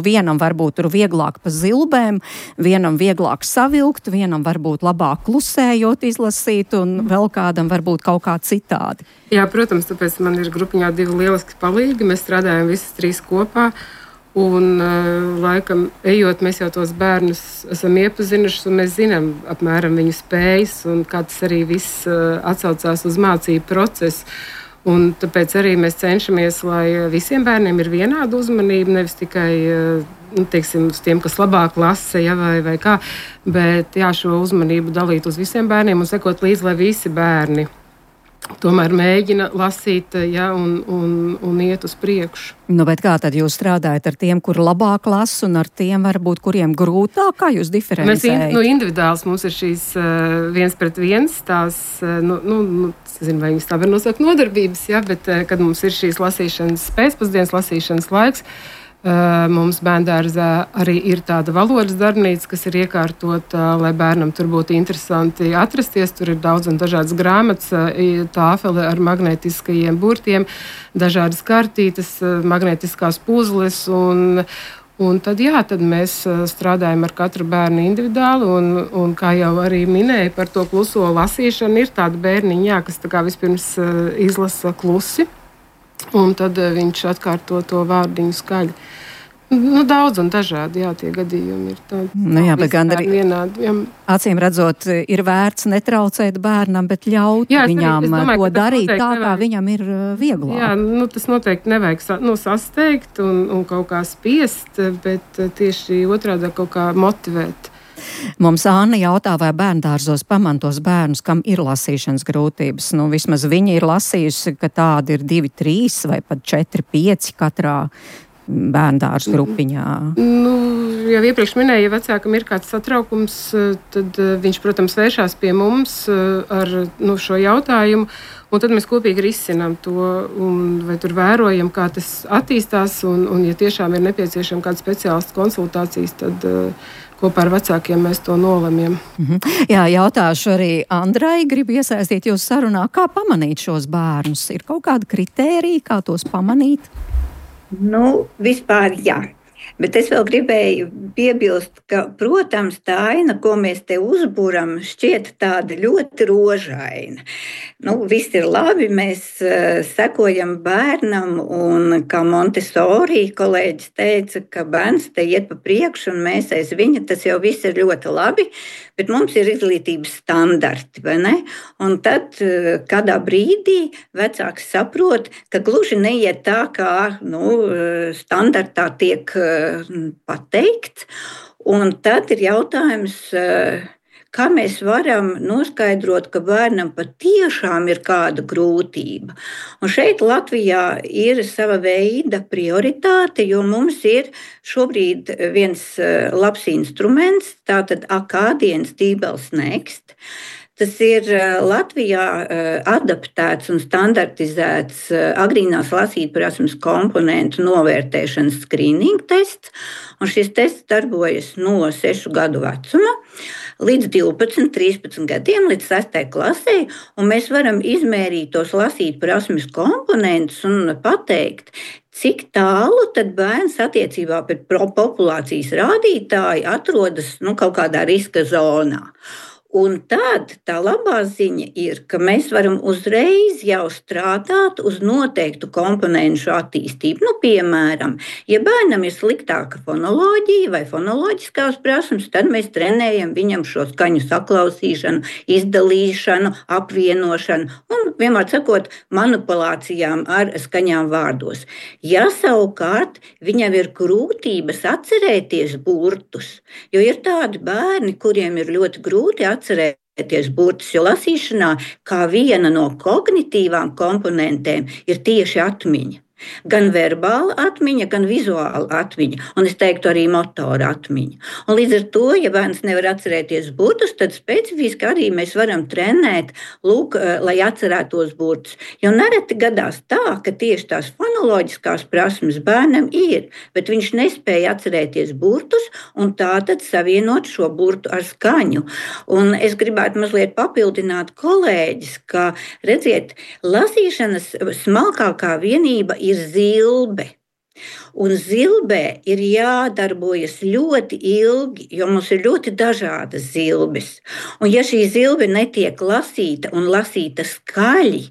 vienam varbūt tur vieglāk pa zilbēm, vienam vieglāk savilkt, vienam varbūt labāk klusējot izlasīt un vēl kādam varbūt kaut kā citādi? Jā, protams, tāpēc man ir grupiņā 2 lieliski palīgi, mēs strādājam visas 3 kopā. Un, laikam, ejot, mēs jau tos bērnus esam iepazinuši, un mēs zinām apmēram viņu spējas, un kā tas arī viss atsaucās uz mācību procesu. Un tāpēc arī mēs cenšamies, lai visiem bērniem ir vienāda uzmanība, nevis tikai uz tiem, kas labāk lasa, ja, vai kā, bet jā, šo uzmanību dalīt uz visiem bērniem un sekot līdzi, lai visi bērni tomēr mēģina lasīt, ja, un iet uz priekšu. Bet kā tad jūs strādājat ar tiem, kur labāk lasa, un ar tiem varbūt, kuriem grūtāk? Kā jūs diferencējat? Mēs individuāls mums ir šīs 1-pret-1, tās, zinu, vai viņas tā var nosaukt nodarbības, ja, bet kad mums ir šīs lasīšanas pēcpusdienas lasīšanas laiks, mums bērndārzā arī ir tāda valodas darbnīca, kas ir iekārtota, lai bērnam tur būtu interesanti atrasties. Tur ir daudz un dažādas grāmatas, tāfele ar magnētiskajiem burtiem, dažādas kartītes, magnētiskās puzles un tad mēs strādājam ar katru bērnu individuāli un kā jau arī minēju par to kluso lasīšanu, ir tāda bērniņa, kas tā kā vispirms izlasa klusi. Un tad viņš atkārto to vārdiņu skaļi. Daudz un dažādi, jā, tie gadījumi ir tādi. Jā, bet gan arī vienādi. Jā. Acīm redzot, ir vērts netraucēt bērnam, bet ļaut viņam to darīt tā, kā viņam ir vieglāk. Jā, tas noteikti nevajag sasteigt un kaut kā spiest, bet tieši otrādi kaut kā motivēt. Mums Anna jautā, vai bērndārzos pamantos bērnus, kam ir lasīšanas grūtības. Vismaz viņa ir lasījusi, ka tādi ir 2, 3 vai pat 4, 5 katrā bērndārza grupiņā. Jau iepriekš minēju, ja vecākam ir kāds satraukums, tad viņš, protams, vēršās pie mums ar šo jautājumu, un tad mēs kopīgi risinām to, vai tur vērojam, kā tas attīstās, un ja tiešām ir nepieciešama kāda speciālista konsultācijas, tad kopā ar vecākiem mēs to nolemjam. Jā, jautāšu arī Andrai, gribu iesaistīt jūs sarunā, kā pamanīt šos bērnus? Ir kaut kāda kritērija, kā tos pamanīt? Vispār jā. Bet es vēl gribēju piebilst, ka, protams, tā aina, ko mēs te uzbūram, šķiet tāda ļoti rožaina. Viss ir labi, mēs sekojam bērnam, un kā Montessori kolēģis teica, ka bērns te iet pa priekšu, un mēs aiz viņa, tas jau viss ir ļoti labi, bet mums ir izglītības standarti, vai ne? Un tad kādā brīdī vecāks saprot, ka gluži neiet tā, kā standartā tiek pateikts, un tad ir jautājums, kā mēs varam noskaidrot, ka bērnam patiešām ir kāda grūtība. Un šeit Latvijā ir sava veida prioritāte, jo mums ir šobrīd viens labs instruments, tātad Akādienas Dībels Next. Tas ir Latvijā adaptēts un standartizēts agrīnās lasītprasmes komponentu novērtēšanas skrīninga tests. Un šis tests darbojas no 6 gadu vecuma līdz 12, 13 gadiem, līdz 6. klasē. Un mēs varam izmērīt tos lasītprasmes komponentus un pateikt, cik tālu tad bērns attiecībā pret populācijas rādītāju atrodas kaut kādā riska zonā. Un tad tā labā ziņa ir, ka mēs varam uzreiz jau strādāt uz noteiktu komponentu attīstību. Piemēram, ja bērnam ir sliktāka fonoloģija vai fonoloģiskās prasmes, tad mēs trenējam viņam šo skaņu saklausīšanu, izdalīšanu, apvienošanu un, vienmēr sakot, manipulācijām ar skaņām vārdos. Ja savukārt viņam ir grūtības atcerēties burtus, jo ir tādi bērni, kuriem ir ļoti grūti atcerēties burtus, jo lasīšanā kā viena no kognitīvām komponentēm ir tieši atmiņa. Gan verbāla atmiņa, gan vizuāla atmiņa, un es teiktu arī motora atmiņa. Un līdz ar to, ja bērns nevar atcerēties burtus, tad specifiski arī mēs varam trenēt, lai atcerētos burtus. Jo nereti gadās tā, ka tieši tās fonoloģiskās prasmes bērnam ir, bet viņš nespēja atcerēties burtus un tātad savienot šo burtu ar skaņu. Un es gribētu mazliet papildināt kolēģis, ka, redziet, lasīšanas smalkākā vienība ir zilbe. Un zilbē ir jādarbojas ļoti ilgi, jo mums ir ļoti dažādas zilbes. Un ja šī zilbe netiek lasīta un lasīta skaļi,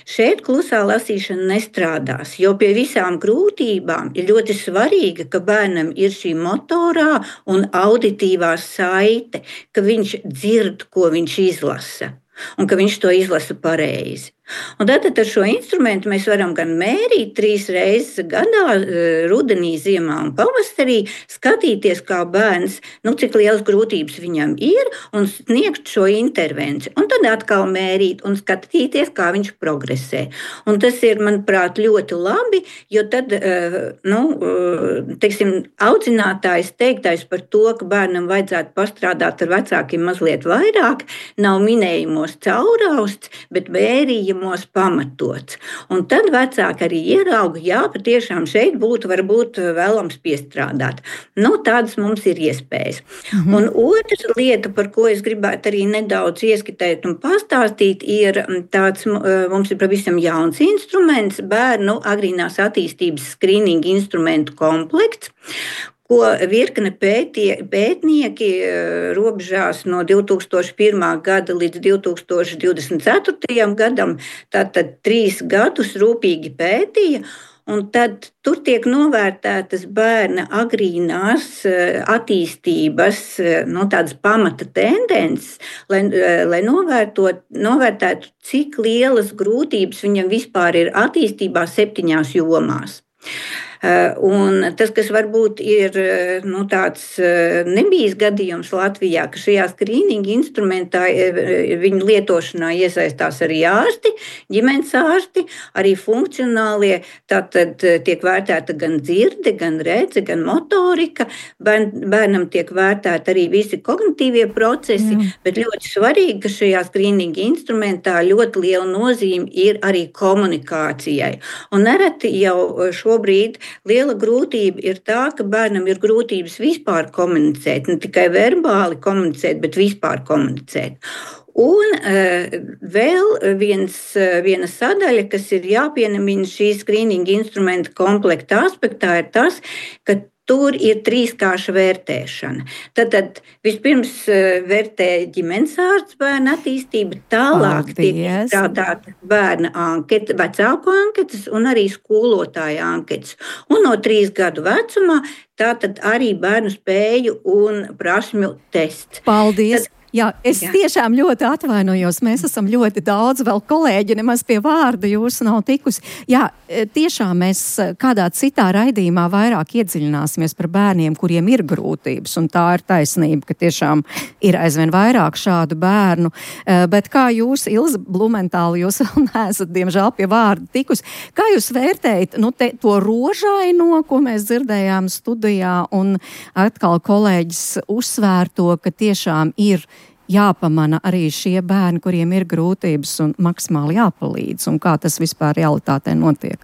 šeit klusā lasīšana nestrādās, jo pie visām grūtībām ir ļoti svarīga, ka bērnam ir šī motorā un auditīvā saite, ka viņš dzird, ko viņš izlasa, un ka viņš to izlasa pareizi. Un tad ar šo instrumentu mēs varam gan mērīt 3 reizes gadā, rudenī, ziemā un pavasarī, skatīties, kā bērns, cik lielas grūtības viņam ir, un sniegt šo intervenciju. Un tad atkal mērīt un skatīties, kā viņš progresē. Un tas ir, manuprāt, ļoti labi, jo tad, audzinātājs teiktais par to, ka bērnam vajadzētu pastrādāt ar vecākiem mazliet vairāk, nav minējumos caurausts, bet mērījumos pamatots. Un tad vecāki arī ierauga, jā, patiešām šeit būtu varbūt vēlams piestrādāt. Tādas mums ir iespējas. Un otra lieta, par ko es gribētu arī nedaudz ieskatīt un pastāstīt, ir tāds, mums ir pavisam jauns instruments, bērnu agrīnās attīstības skrīninga instrumentu komplekts, ko virkne pētnieki robežās no 2001. gada līdz 2024. gadam, tātad 3 gadus rūpīgi pētīja, un tad tur tiek novērtētas bērna agrīnās attīstības, tādas pamata tendences, lai novērtētu, cik lielas grūtības viņam vispār ir attīstībā 7 jomās. Un tas, kas varbūt ir tāds nebijis gadījums Latvijā, ka šajā skrīninga instrumentā viņu lietošanā iesaistās arī ārsti, ģimenes ārsti, arī funkcionālie, tātad tiek vērtēta gan dzirde, gan redze, gan motorika, bērnam tiek vērtēta arī visi kognitīvie procesi, bet ļoti svarīgi, ka šajā skrīninga instrumentā ļoti liela nozīme ir arī komunikācijai. Un nereti jau šobrīd liela grūtība ir tā, ka bērnam ir grūtības vispār komunicēt, ne tikai verbāli komunicēt, bet vispār komunicēt. Un vēl viena sadaļa, kas ir jāpiemina šī skrīninga instrumenta komplekta aspektā, ir tas, ka tur ir trīskārša vērtēšana. Tad vispirms vērtē ģimenes ārsts bērna attīstību, tālāk tiek izstrādāta bērna anketa, vecāku anketas un arī skolotāja anketas. Un no 3 gadu vecumā tātad arī bērnu spēju un prasmju tests. Paldies! Jā, es tiešām ļoti atvainojos. Mēs esam ļoti daudz, vēl kolēģi nemaz pie vārda jūsu nav tikusi. Jā, tiešām mēs kādā citā raidījumā vairāk iedziļināsimies par bērniem, kuriem ir grūtības, un tā ir taisnība, ka tiešām ir aizvien vairāk šādu bērnu. Bet kā jūs, Ilze Blumentāla, jūs vēl neesat, diemžēl, pie vārda tikusi. Kā jūs vērtējat to rožaino, ko mēs dzirdējām studijā, un atkal kolēģis uzsvērto, ka tiešām ir jāpamana arī šie bērni, kuriem ir grūtības un maksimāli jāpalīdz, un kā tas vispār realitātē notiek?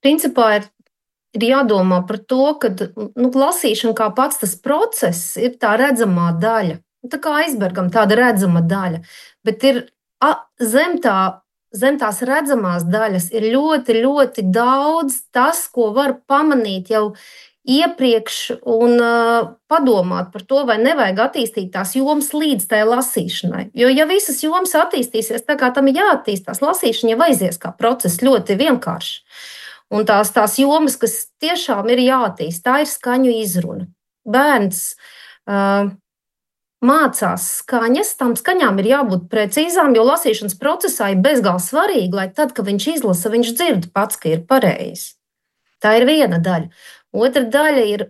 Principā ir jādomā par to, ka lasīšana kā pats tas process ir tā redzamā daļa. Tā kā aizbergam tāda redzama daļa, bet ir zem tās redzamās daļas ir ļoti, ļoti daudz tas, ko var pamanīt jau iepriekš un padomāt par to, vai nevajag attīstīt tās jomas līdz tai lasīšanai. Jo, ja visas jomas attīstīsies tā, kā tam ir jāattīstās, lasīšana jau aizies kā process ļoti vienkārši. Un tās jomas, kas tiešām ir jāattīst, tā ir skaņu izruna. Bērns mācās skaņas, tām skaņām ir jābūt precīzām, jo lasīšanas procesā ir bezgalīgi svarīgi, lai tad, kad viņš izlasa, viņš dzird pats, ka ir pareizi. Tā ir viena daļa. Otra daļa ir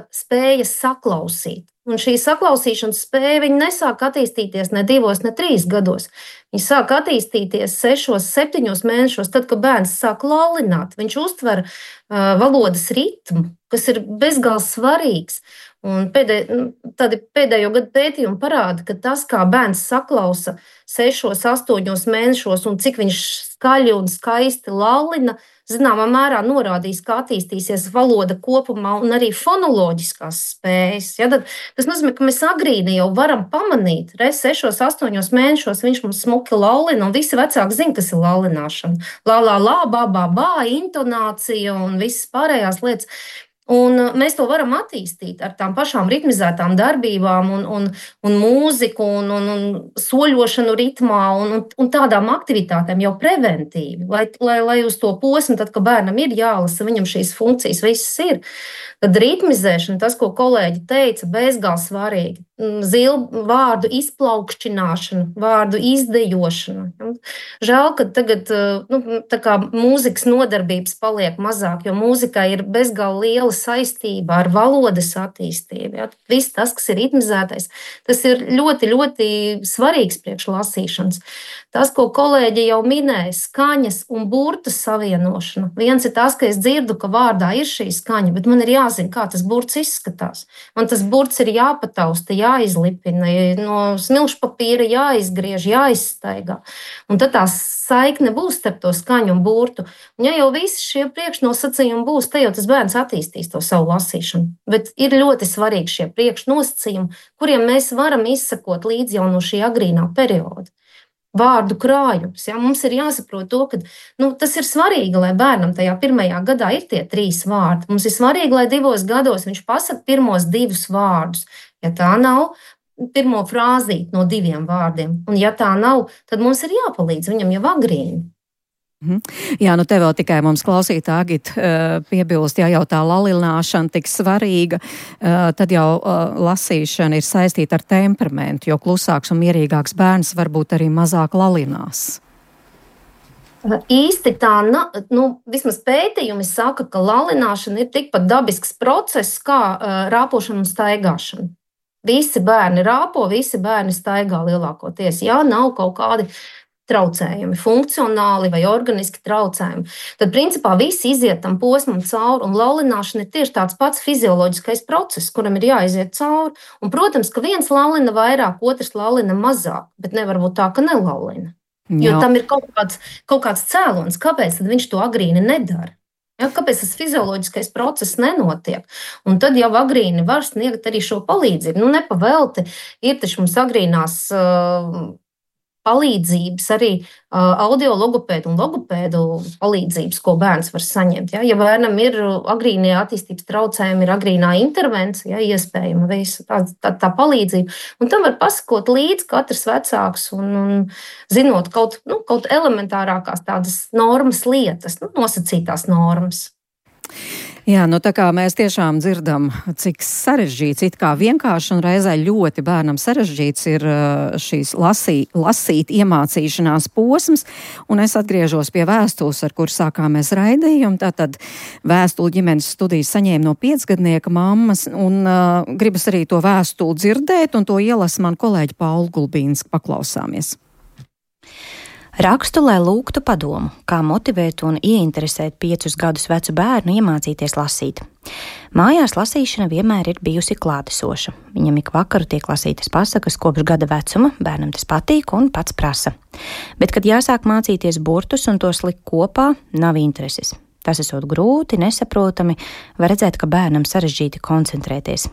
spēja saklausīt. Un šī saklausīšanas spēja nesāk attīstīties ne 2, ne 3 gados. Viņa sāk attīstīties 6, 7 mēnešos, tad, kad bērns sāk lallināt. Viņš uztver valodas ritmu, kas ir bezgalīgi svarīgs. Un pēdējo gadu pētījumi parāda, ka tas, kā bērns saklausa 6, 8 mēnešos un cik viņš skaļi un skaisti lallina, zināmā mērā norādīs, kā attīstīsies valoda kopumā un arī fonoloģiskās spējas. Ja, tas nozīmē, ka mēs agrīni jau varam pamanīt, 6, 8 mēnešos viņš mums smuki lallina, un visi vecāki zina, kas ir lallināšana. Lā, lā, lā, bā, bā, bā, intonācija un visas pārējās lietas. Un mēs to varam attīstīt ar tām pašām ritmizētām darbībām un mūziku un soļošanu ritmā un tādām aktivitātēm jau preventīvi, lai uz to posmu, tad, kad bērnam ir jālasa, viņam šīs funkcijas visas ir. Tad ritmizēšana, tas, ko kolēģi teica, bezgalīgi svarīgi. Vārdu izplaukšķināšana, vārdu izdejošana. Žēl, ka tagad tā kā mūzikas nodarbības paliek mazāk, jo mūzikai ir bezgalīgi liela saistība ar valodas attīstību. Ja? Viss tas, kas ir ritmizētais, tas ir ļoti, ļoti svarīgs priekš lasīšanas. Tas, ko kolēģi jau minēja, skaņas un burtu savienošana. Viens ir tas, ka es dzirdu, ka vārdā ir šī skaņa, bet man ir jāzina, kā tas burts izskatās. Man tas burts ir jāpatausta, jāizlipina, no smilšu papīra jāizgriež, jāizstaigā. Un tad tā saikne būs starp to skaņu un burtu. Un ja jau visi šie priekšnosacījumi būs, te jau tas bērns attīstīs to savu lasīšanu. Bet ir ļoti svarīgi šie priekšnosacījumi, kuriem mēs varam izsekot līdz jau no šī agrīnā perioda. Vārdu krājums. Ja? Mums ir jāsaprot to, ka tas ir svarīgi, lai bērnam tajā 1. gadā ir tie 3 vārdi. Mums ir svarīgi, lai 2 gados viņš pasaka pirmos 2 vārdus. Ja tā nav, pirmo frāzīti no 2 vārdiem. Un ja tā nav, tad mums ir jāpalīdz viņam jau agrīni. Jā, te vēl tikai mums klausītā Agita piebilst, ja jau tā lalināšana tik svarīga, tad jau lasīšana ir saistīta ar temperamentu, jo klusāks un mierīgāks bērns varbūt arī mazāk lalinās. Īsti tā, vismaz pētījumi saka, ka lalināšana ir tikpat dabisks process kā rāpošana un staigāšana. Visi bērni rāpo, visi bērni staigā lielākoties, ja nav kaut kādi traucējumi, funkcionāli vai organiski traucējumi. Tad, principā, visi iziet tam posmam cauri, un lalināšana ir tieši tāds pats fizioloģiskais process, kuram ir jāiziet cauri. Un, protams, ka viens lalina vairāk, otrs lalina mazāk, bet nevar būt tā, ka nelallina. Jo tam ir kaut kāds cēlonis, kāpēc tad viņš to agrīni nedara. Ja, kāpēc tas fizioloģiskais process nenotiek? Un tad jau agrīni var sniegt arī šo palīdzību. Nepavelti ir taču mums agrīnās palīdzības, arī audiologopēdu un logopēdu palīdzības, ko bērns var saņemt. Ja bērnam ir agrīnie attīstības traucējumi, ir agrīnā intervence, iespējama visa tā palīdzība. Un tam var pasakot līdzi katrs vecāks un zinot kaut elementārākās tādas normas lietas, nosacītās normas. Jā, tā kā mēs tiešām dzirdam, cik sarežģīts, it kā vienkārši un reizē ļoti bērnam sarežģīts ir šīs lasīt iemācīšanās posms, un es atgriežos pie vēstules, ar kur sākāmies raidījumu. Tātad vēstuli ģimenes studijas saņēma no 5-gadnieka mammas, un gribas arī to vēstuli dzirdēt, un to ielasa man kolēģi Paula Gulbīnska. Paklausāmies. Rakstu, lai lūgtu padomu, kā motivēt un ieinteresēt 5 gadus vecu bērnu iemācīties lasīt. Mājās lasīšana vienmēr ir bijusi klātesoša. Viņam ik vakaru tiek lasītas pasakas kopš gada vecuma, bērnam tas patīk un pats prasa. Bet, kad jāsāk mācīties burtus un tos likt kopā, nav intereses. Tas esot grūti, nesaprotami, var redzēt, ka bērnam sarežģīti koncentrēties.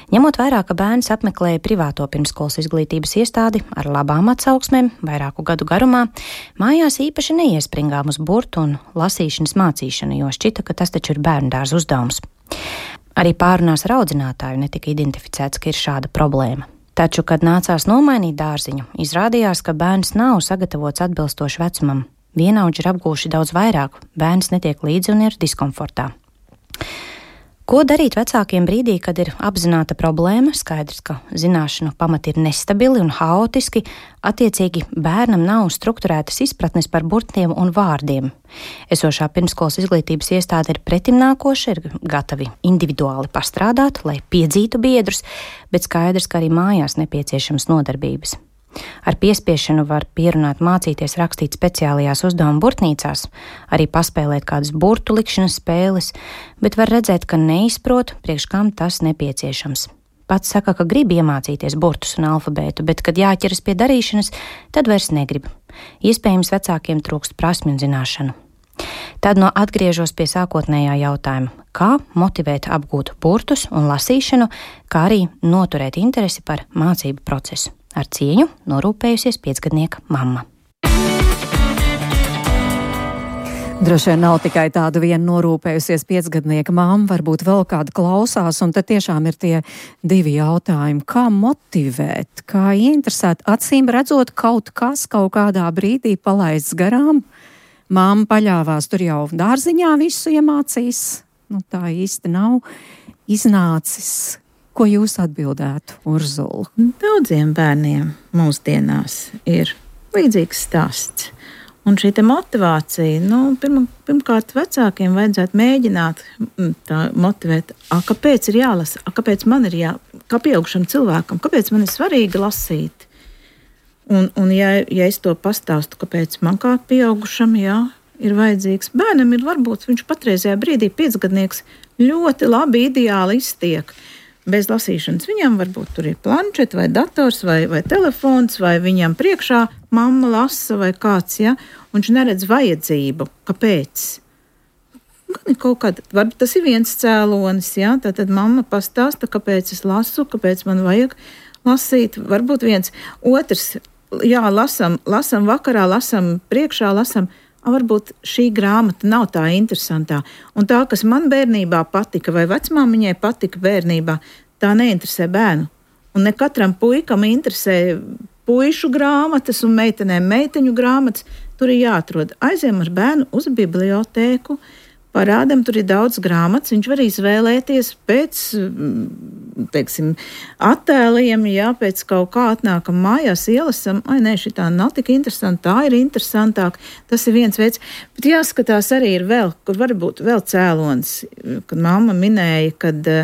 Ņemot vērā, ka bērns apmeklēja privāto pirmskolas izglītības iestādi ar labām atsauksmēm vairāku gadu garumā, mājās īpaši neiespringām uz burtu un lasīšanas mācīšanu, jo šķita, ka tas taču ir bērndārza uzdevums. Arī pārunās ar audzinātāju netika identificēts, ka ir šāda problēma. Taču, kad nācās nomainīt dārziņu, izrādījās, ka bērns nav sagatavots atbilstoši vecumam. Vienaudži ir apgūši daudz vairāk, bērns netiek līdzi un ir diskomfortā. Ko darīt vecākiem brīdī, kad ir apzināta problēma? Skaidrs, ka zināšanu pamati ir nestabili un haotiski, attiecīgi bērnam nav strukturētas izpratnes par burtiem un vārdiem. Esošā pirmskolas izglītības iestāde ir pretimnākoša, ir gatavi individuāli pastrādāt, lai piedzītu biedrus, bet skaidrs, ka arī mājās nepieciešams nodarbības. Ar piespiešanu var pierunāt mācīties rakstīt speciālajās uzdevuma burtnīcās, arī paspēlēt kādas burtu likšanas spēles, bet var redzēt, ka neizprot, priekš kam tas nepieciešams. Pats saka, ka grib iemācīties burtus un alfabētu, bet, kad jāķeras pie darīšanas, tad vairs negrib. Iespējams, vecākiem trūkst prasmju un zināšanu. Tad atgriežos pie sākotnējā jautājuma, kā motivēt apgūt burtus un lasīšanu, kā arī noturēt interesi par mācību procesu. Ar cieņu norūpējusies 5-gadnieka mamma. Droši vien nav tikai tāda viena norūpējusies 5-gadnieka mamma, varbūt vēl kāda klausās, un tad tiešām ir tie 2 jautājumi. Kā motivēt, kā ieinteresēt, acīm redzot kaut kas kaut kādā brīdī palaists garām? Mamma paļāvās, tur jau dārziņā visu iemācīs, tā īsti nav iznācis. Ko jūs atbildētu, Urzula? Daudziem bērniem mūsdienās ir līdzīgs stāsts. Un šī motivācija, pirmkārt vecākiem vajadzētu mēģināt tā motivēt, kāpēc ir jālasa, kāpēc man ir kā pieaugušam cilvēkam, kāpēc man ir svarīgi lasīt. Un ja es to pastāstu, kāpēc man kā pieaugušam, ir vajadzīgs, bērnam ir varbūt viņš patreizajā brīdī 5-gadnieks ļoti labi, ideāli iztiek. Bez lasīšanas viņam varbūt tur ir planšets vai dators vai telefons, vai viņam priekšā mamma lasa vai kāds, un viņš neredz vajadzību. Kāpēc? Varbūt tas ir viens cēlonis, tad mamma pastāsta, kāpēc es lasu, kāpēc man vajag lasīt. Varbūt viens. Otrs, lasam vakarā, lasam priekšā, lasam. Varbūt šī grāmata nav tā interesantā. Un tā, kas man bērnībā patika, vai vecmāmiņai patika bērnībā, tā neinteresē bērnu. Un ne katram puikam interesē puišu grāmatas un meitenēm meiteņu grāmatas. Tur ir jāatrod. Aiziem ar bērnu uz bibliotēku, parādam, tur ir daudz grāmatas, viņš var izvēlēties pēc, attēliem, pēc kaut kā atnākam mājās, ielasam, šitā nav tik interesanti, tā ir interesantāk, tas ir viens veids, bet jāskatās arī ir vēl, kur varbūt vēl cēlonis, kad mamma minēja, kad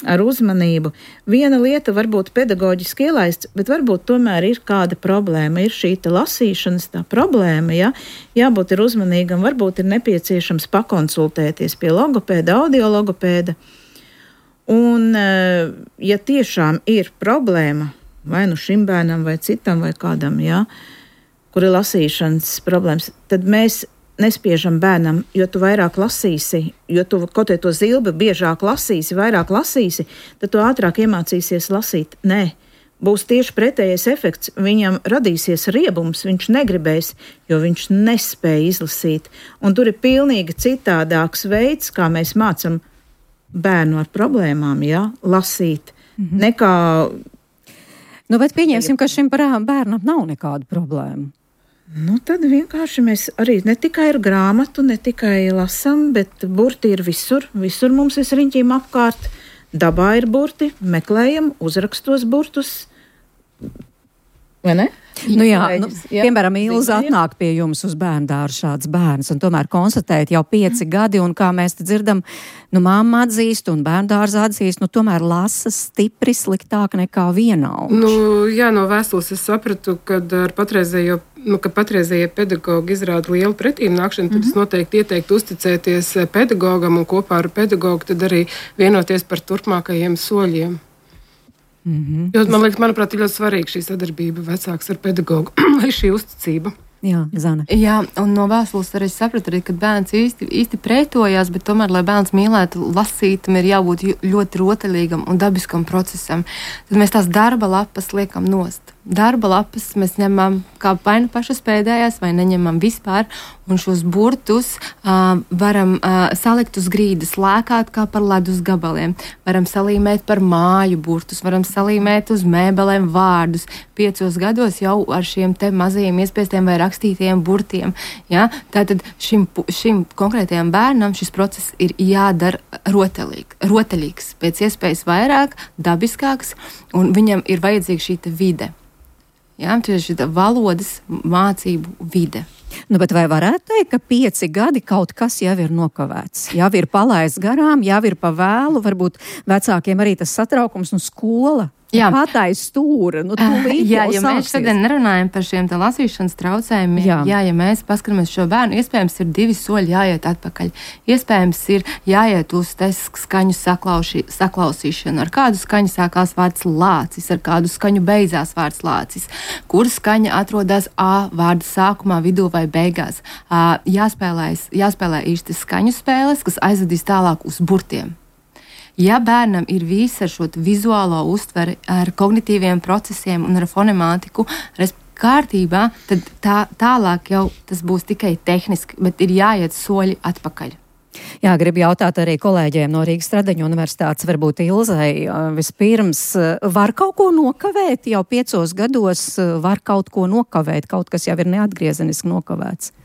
ar uzmanību. Viena lieta varbūt pedagoģiski ielaists, bet varbūt tomēr ir kāda problēma. Ir šī lasīšanas tā problēma, jābūt ir uzmanīgam, varbūt ir nepieciešams pakonsultēties pie logopēda, audiologopēda. Un, ja tiešām ir problēma, vai šim bērnam, vai citam, vai kādam, kur ir lasīšanas problēmas, tad mēs nespiežam bērnam, jo tu vairāk lasīsi, jo tu kaut vai to zilbi biežāk lasīsi, vairāk lasīsi, tad tu ātrāk iemācīsies lasīt. Nē, būs tieši pretējais efekts. Viņam radīsies riebums, viņš negribēs, jo viņš nespēja izlasīt. Un tur ir pilnīgi citādāks veids, kā mēs mācam bērnu ar problēmām, lasīt, nekā... Nu, bet pieņemsim, ka šim bērnam nav nekādu problēmu. Nu, tad vienkārši mēs arī ne tikai ar grāmatu, ne tikai lasām, bet burti ir visur. Visur mums ir riņķīm apkārt. Dabā ir burti, meklējam, uzrakstos burtus. Vai ne? Nu jā, piemēram, Ilza atnāk pie jums uz bērndārzu šāds bērns, un tomēr konstatēt jau 5 gadi, un kā mēs te dzirdam, mamma atzīst un bērndārza atzīst, tomēr lasa stipri sliktāk nekā vienaudži. No vēstules es sapratu, kad ar patreizējie pedagogi izrāda lielu pretīmnākšanu, tad es noteikti ieteiktu uzticēties pedagogam un kopā ar pedagogu tad arī vienoties par turpmākajiem soļiem. Jo, manuprāt, ir ļoti svarīga šī sadarbība vecāks ar pedagogu, lai šī uzticība. Jā, Zane. Jā, un no vēstules arī sapratu, ka bērns īsti pretojās, bet tomēr, lai bērns mīlētu lasīt, tam ir jābūt ļoti rotaļīgam un dabiskam procesam. Tad mēs tās darba lapas liekam nost. Darba lapas mēs ņemam kā vai nu pašas pēdējās, vai neņemam vispār, un šos burtus varam salikt uz grīdas, lēkāt kā par ledus gabaliem. Varam salīmēt par māju burtus, varam salīmēt uz mēbelēm vārdus. 5 gados jau ar šiem te mazajiem iespiestiem vai rakstītajiem burtiem. Ja? Tātad šim konkrētajam bērnam šis process ir jādara rotaļīgs, pēc iespējas vairāk, dabiskāks, un viņam ir vajadzīga šī vide. Jā, tieši tā valodas mācību vide. Bet vai varētu teikt, ka 5 gadi kaut kas jau ir nokavēts? Jau ir palaists garām, jau ir pa vēlu, varbūt vecākiem arī tas satraukums un skola. Patais stūra. Ja mēs šodien nerunājam par šiem lasīšanas traucējumiem, ja mēs paskatāmies šo bērnu, iespējams ir 2 soļi jāiet atpakaļ. Iespējams ir jāiet uz skaņu saklausīšanu. Ar kādu skaņu sākās vārds lācis, ar kādu skaņu beidzās vārds lācis. Kur skaņa atrodas A vārda sākumā, vidū vai beigās. Jāspēlē īsti skaņu spēles, kas aizvedīs tālāk uz burtiem. Ja bērnam ir visa ar šo vizuālo uztveri, ar kognitīviem procesiem un ar fonemātiku kārtībā, tad tālāk jau tas būs tikai tehniski, bet ir jāiet soļi atpakaļ. Jā, gribu jautāt arī kolēģiem no Rīgas Stradeņu universitātes, varbūt Ilzai vispirms, var kaut ko nokavēt? Jau 5 gados var kaut ko nokavēt, kaut kas jau ir neatgriezeniski nokavēts.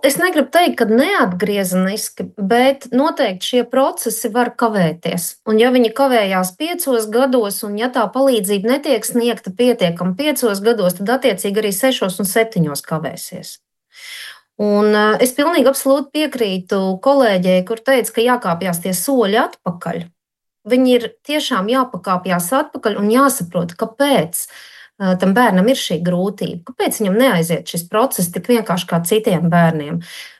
Es negribu teikt, ka neatgriezeniski, bet noteikti šie procesi var kavēties. Un ja viņi kavējās 5 gados, un ja tā palīdzība netiek sniegta pietiekami 5 gados, tad attiecīgi arī 6 un 7 kavēsies. Un es pilnīgi absolūti piekrītu kolēģei, kur teica, ka jākāpjas tie soļi atpakaļ. Viņi ir tiešām jāpakāpjas atpakaļ un jāsaprot, kāpēc tam bērnam ir šī grūtība. Kāpēc viņam neaiziet šis process tik vienkārši kā citiem bērniem?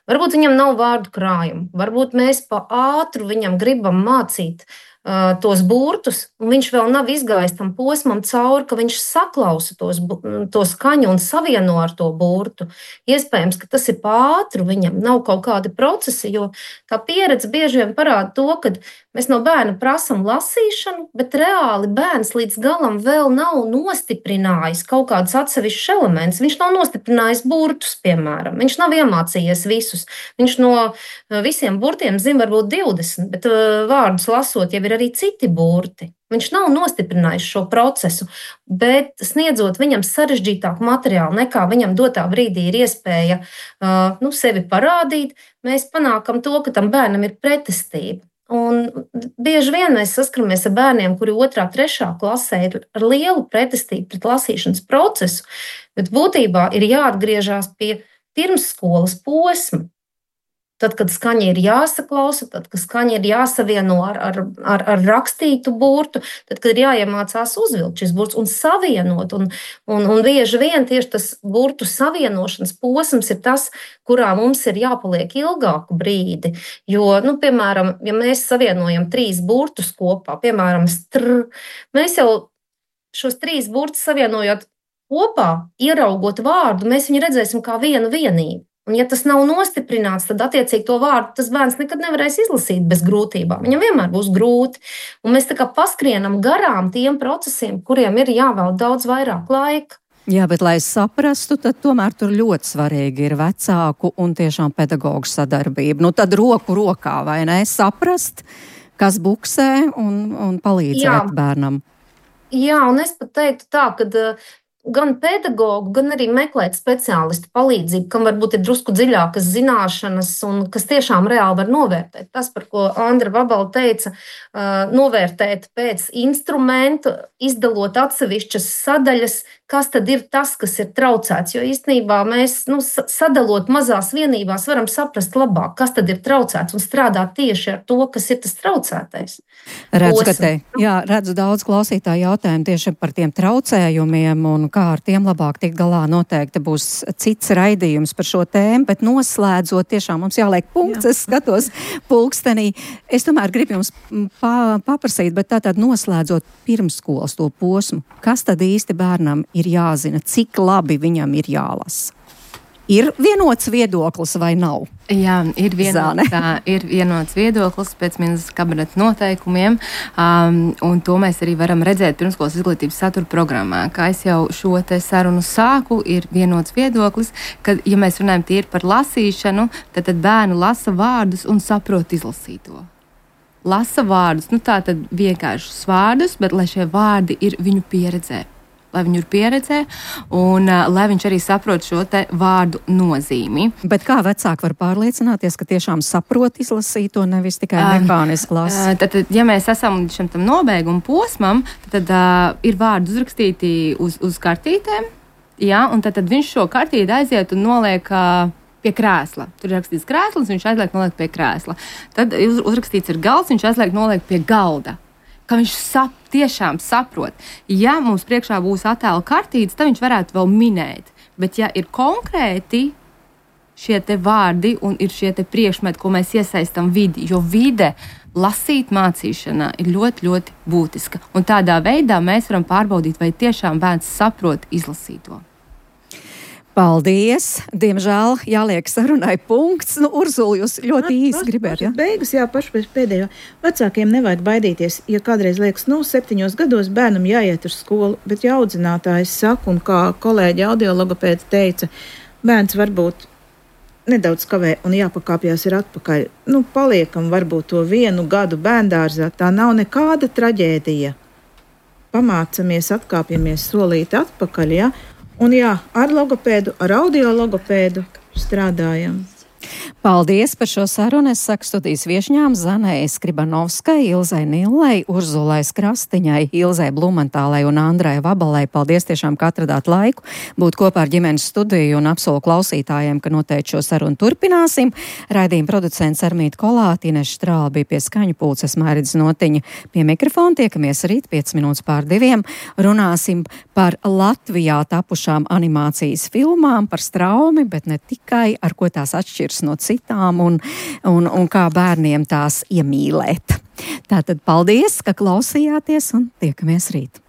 Varbūt viņam nav vārdu krājumu, varbūt mēs pa ātru viņam gribam mācīt tos burtus, un viņš vēl nav izgājis tam posmam cauri, ka viņš saklausa to skaņu un savieno ar to burtu. Iespējams, ka tas ir pa ātru, viņam nav kaut kādi procesi, jo tā pieredze bieži vien parāda to, ka mēs no bērna prasam lasīšanu, bet reāli bērns līdz galam vēl nav nostiprinājis kaut kādus atsevišķus elementus. Viņš nav nostiprinājis burtus, piemēram. Viņš nav iemācījies visus. Viņš no visiem burtiem zina varbūt 20, bet vārdus lasot jau ir arī citi burti. Viņš nav nostiprinājis šo procesu, bet sniedzot viņam sarežģītāku materiālu nekā viņam dotā brīdī ir iespēja sevi parādīt, mēs panākam to, ka tam bērnam ir pretestība. Un bieži vien mēs saskaramies ar bērniem, kuri 2., 3. klasē ir ar lielu pretestību pret lasīšanas procesu, bet būtībā ir jāatgriežas pie pirmsskolas posma. Tad, kad skaņa ir jāsaklausa, tad, kad skaņa ir jāsavieno ar rakstītu burtu, tad, kad ir jāiemācās uzvilkt šis burts un savienot. Un bieži vien tieši tas burtu savienošanas posms ir tas, kurā mums ir jāpaliek ilgāku brīdi. Jo, piemēram, ja mēs savienojam 3 burtus kopā, piemēram, mēs jau šos 3 burtus savienojot kopā, ieraugot vārdu, mēs viņu redzēsim kā vienu vienību. Un ja tas nav nostiprināts, tad attiecīgi to vārdu tas bērns nekad nevarēs izlasīt bez grūtībām. Viņam vienmēr būs grūti. Un mēs tā kā paskrienam garām tiem procesiem, kuriem ir jāvēl daudz vairāk laika. Jā, bet lai saprastu, tad tomēr tur ļoti svarīgi ir vecāku un tiešām pedagoģu sadarbība. Nu tad roku rokā, vai ne? Saprast, kas buksē un palīdzēt bērnam. Jā, un es pat teiktu tā, ka gan pedagogu, gan arī meklēt speciālistu palīdzību, kam varbūt ir drusku dziļākas zināšanas un kas tiešām reāli var novērtēt. Tas, par ko Andra Vabala teica, novērtēt pēc instrumentu, izdalot atsevišķas sadaļas, kas tad ir tas, kas ir traucēts. Jo īstenībā mēs, sadalot mazās vienībās, varam saprast labāk, kas tad ir traucēts un strādāt tieši ar to, kas ir tas traucētais. Redzu daudz klausītāju jautājumu tieši par tiem traucējumiem un kā ar tiem labāk tikt galā. Noteikti būs cits raidījums par šo tēmu, bet noslēdzot, tiešām mums jāliek punkts. Es skatos pulkstenī. Es tomēr gribu jums paprasīt, bet tātad noslēdzot pirmsskolas to posmu, kas tad īsti bērnam ir jāzina, cik labi viņam ir jālasa? Ir vienots viedoklis vai nav? Jā, ir vienots viedoklis pēc ministra kabineta noteikumiem, un to mēs arī varam redzēt pirmskolas izglītības satura programmā. Kā es jau šo te sarunu sāku, ir vienots viedoklis, ka, ja mēs runājam tīri par lasīšanu, tad bērnu lasa vārdus un saprot izlasīto. Lasa vārdus, tātad vienkāršus vārdus, bet lai šie vārdi ir viņu pieredzē. Lai viņu ir pieredzē un lai viņš arī saprot šo te vārdu nozīmi. Bet kā vecāki var pārliecināties, ka tiešām saprot izlasīto, nevis tikai mehāniski lasa? Tad, ja mēs esam līdz šim tam nobeiguma posmam, tad ir vārdi uzrakstīti uz kartītēm, jā, un tad viņš šo kartīti aiziet un noliek pie krēsla. Tur ir rakstīts krēsls, viņš aizliek noliek pie krēsla. Tad uzrakstīts ir galds, viņš aizliek noliek pie galda. Ka viņš tiešām saprot. Ja mums priekšā būs attēla kartītes, tad viņš varētu vēl minēt. Bet ja ir konkrēti šie te vārdi un ir šie te priekšmeti, ko mēs iesaistam vidi, jo vide lasīt mācīšanā ir ļoti, ļoti būtiska. Un tādā veidā mēs varam pārbaudīt, vai tiešām bērns saprot izlasīto. Paldies! Diemžēl jāliek sarunai punkts. Urzula, jūs ļoti īsi gribētu, Beigas, paši pēdējo. Vecākiem nevajag baidīties, ja kādreiz liekas, 7 gados bērnam jāiet uz skolu, bet ja audzinātājs saka, un kā kolēģi audiologopēdi teica, bērns varbūt nedaudz kavē un jāpakāpjās ir atpakaļ. Paliekam varbūt to 1 gadu bērndārzā, tā nav nekāda traģēdija. Pamācamies, atkāpjamies solīti atpakaļ, Un ar logopēdu, ar audiologopēdu strādājam. Paldies par šo sarunu. Es saku studijas viešņām Zanai Skribanovskai, Ilzai Nillei, Urzulai Skrastiņai, Ilzai Blumentālei un Andrai Vabalai. Paldies tiešām, ka atradāt laiku būt kopā ar ģimenes studiju un apsolu klausītājiem, ka noteikti šo sarunu turpināsim. Raidījuma producents Armīta Kolāte, Ineša Strāla bija pie skaņu pulces, Mairits Notiņa pie mikrofona. Tiekamies rīt 5:05. Runāsim par Latvijā tapušām animācijas filmām, par straumi, bet ne tikai, ar ko tās atšķiras no citām un kā bērniem tās iemīlēt. Tātad paldies, ka klausījāties un tiekamies rīt.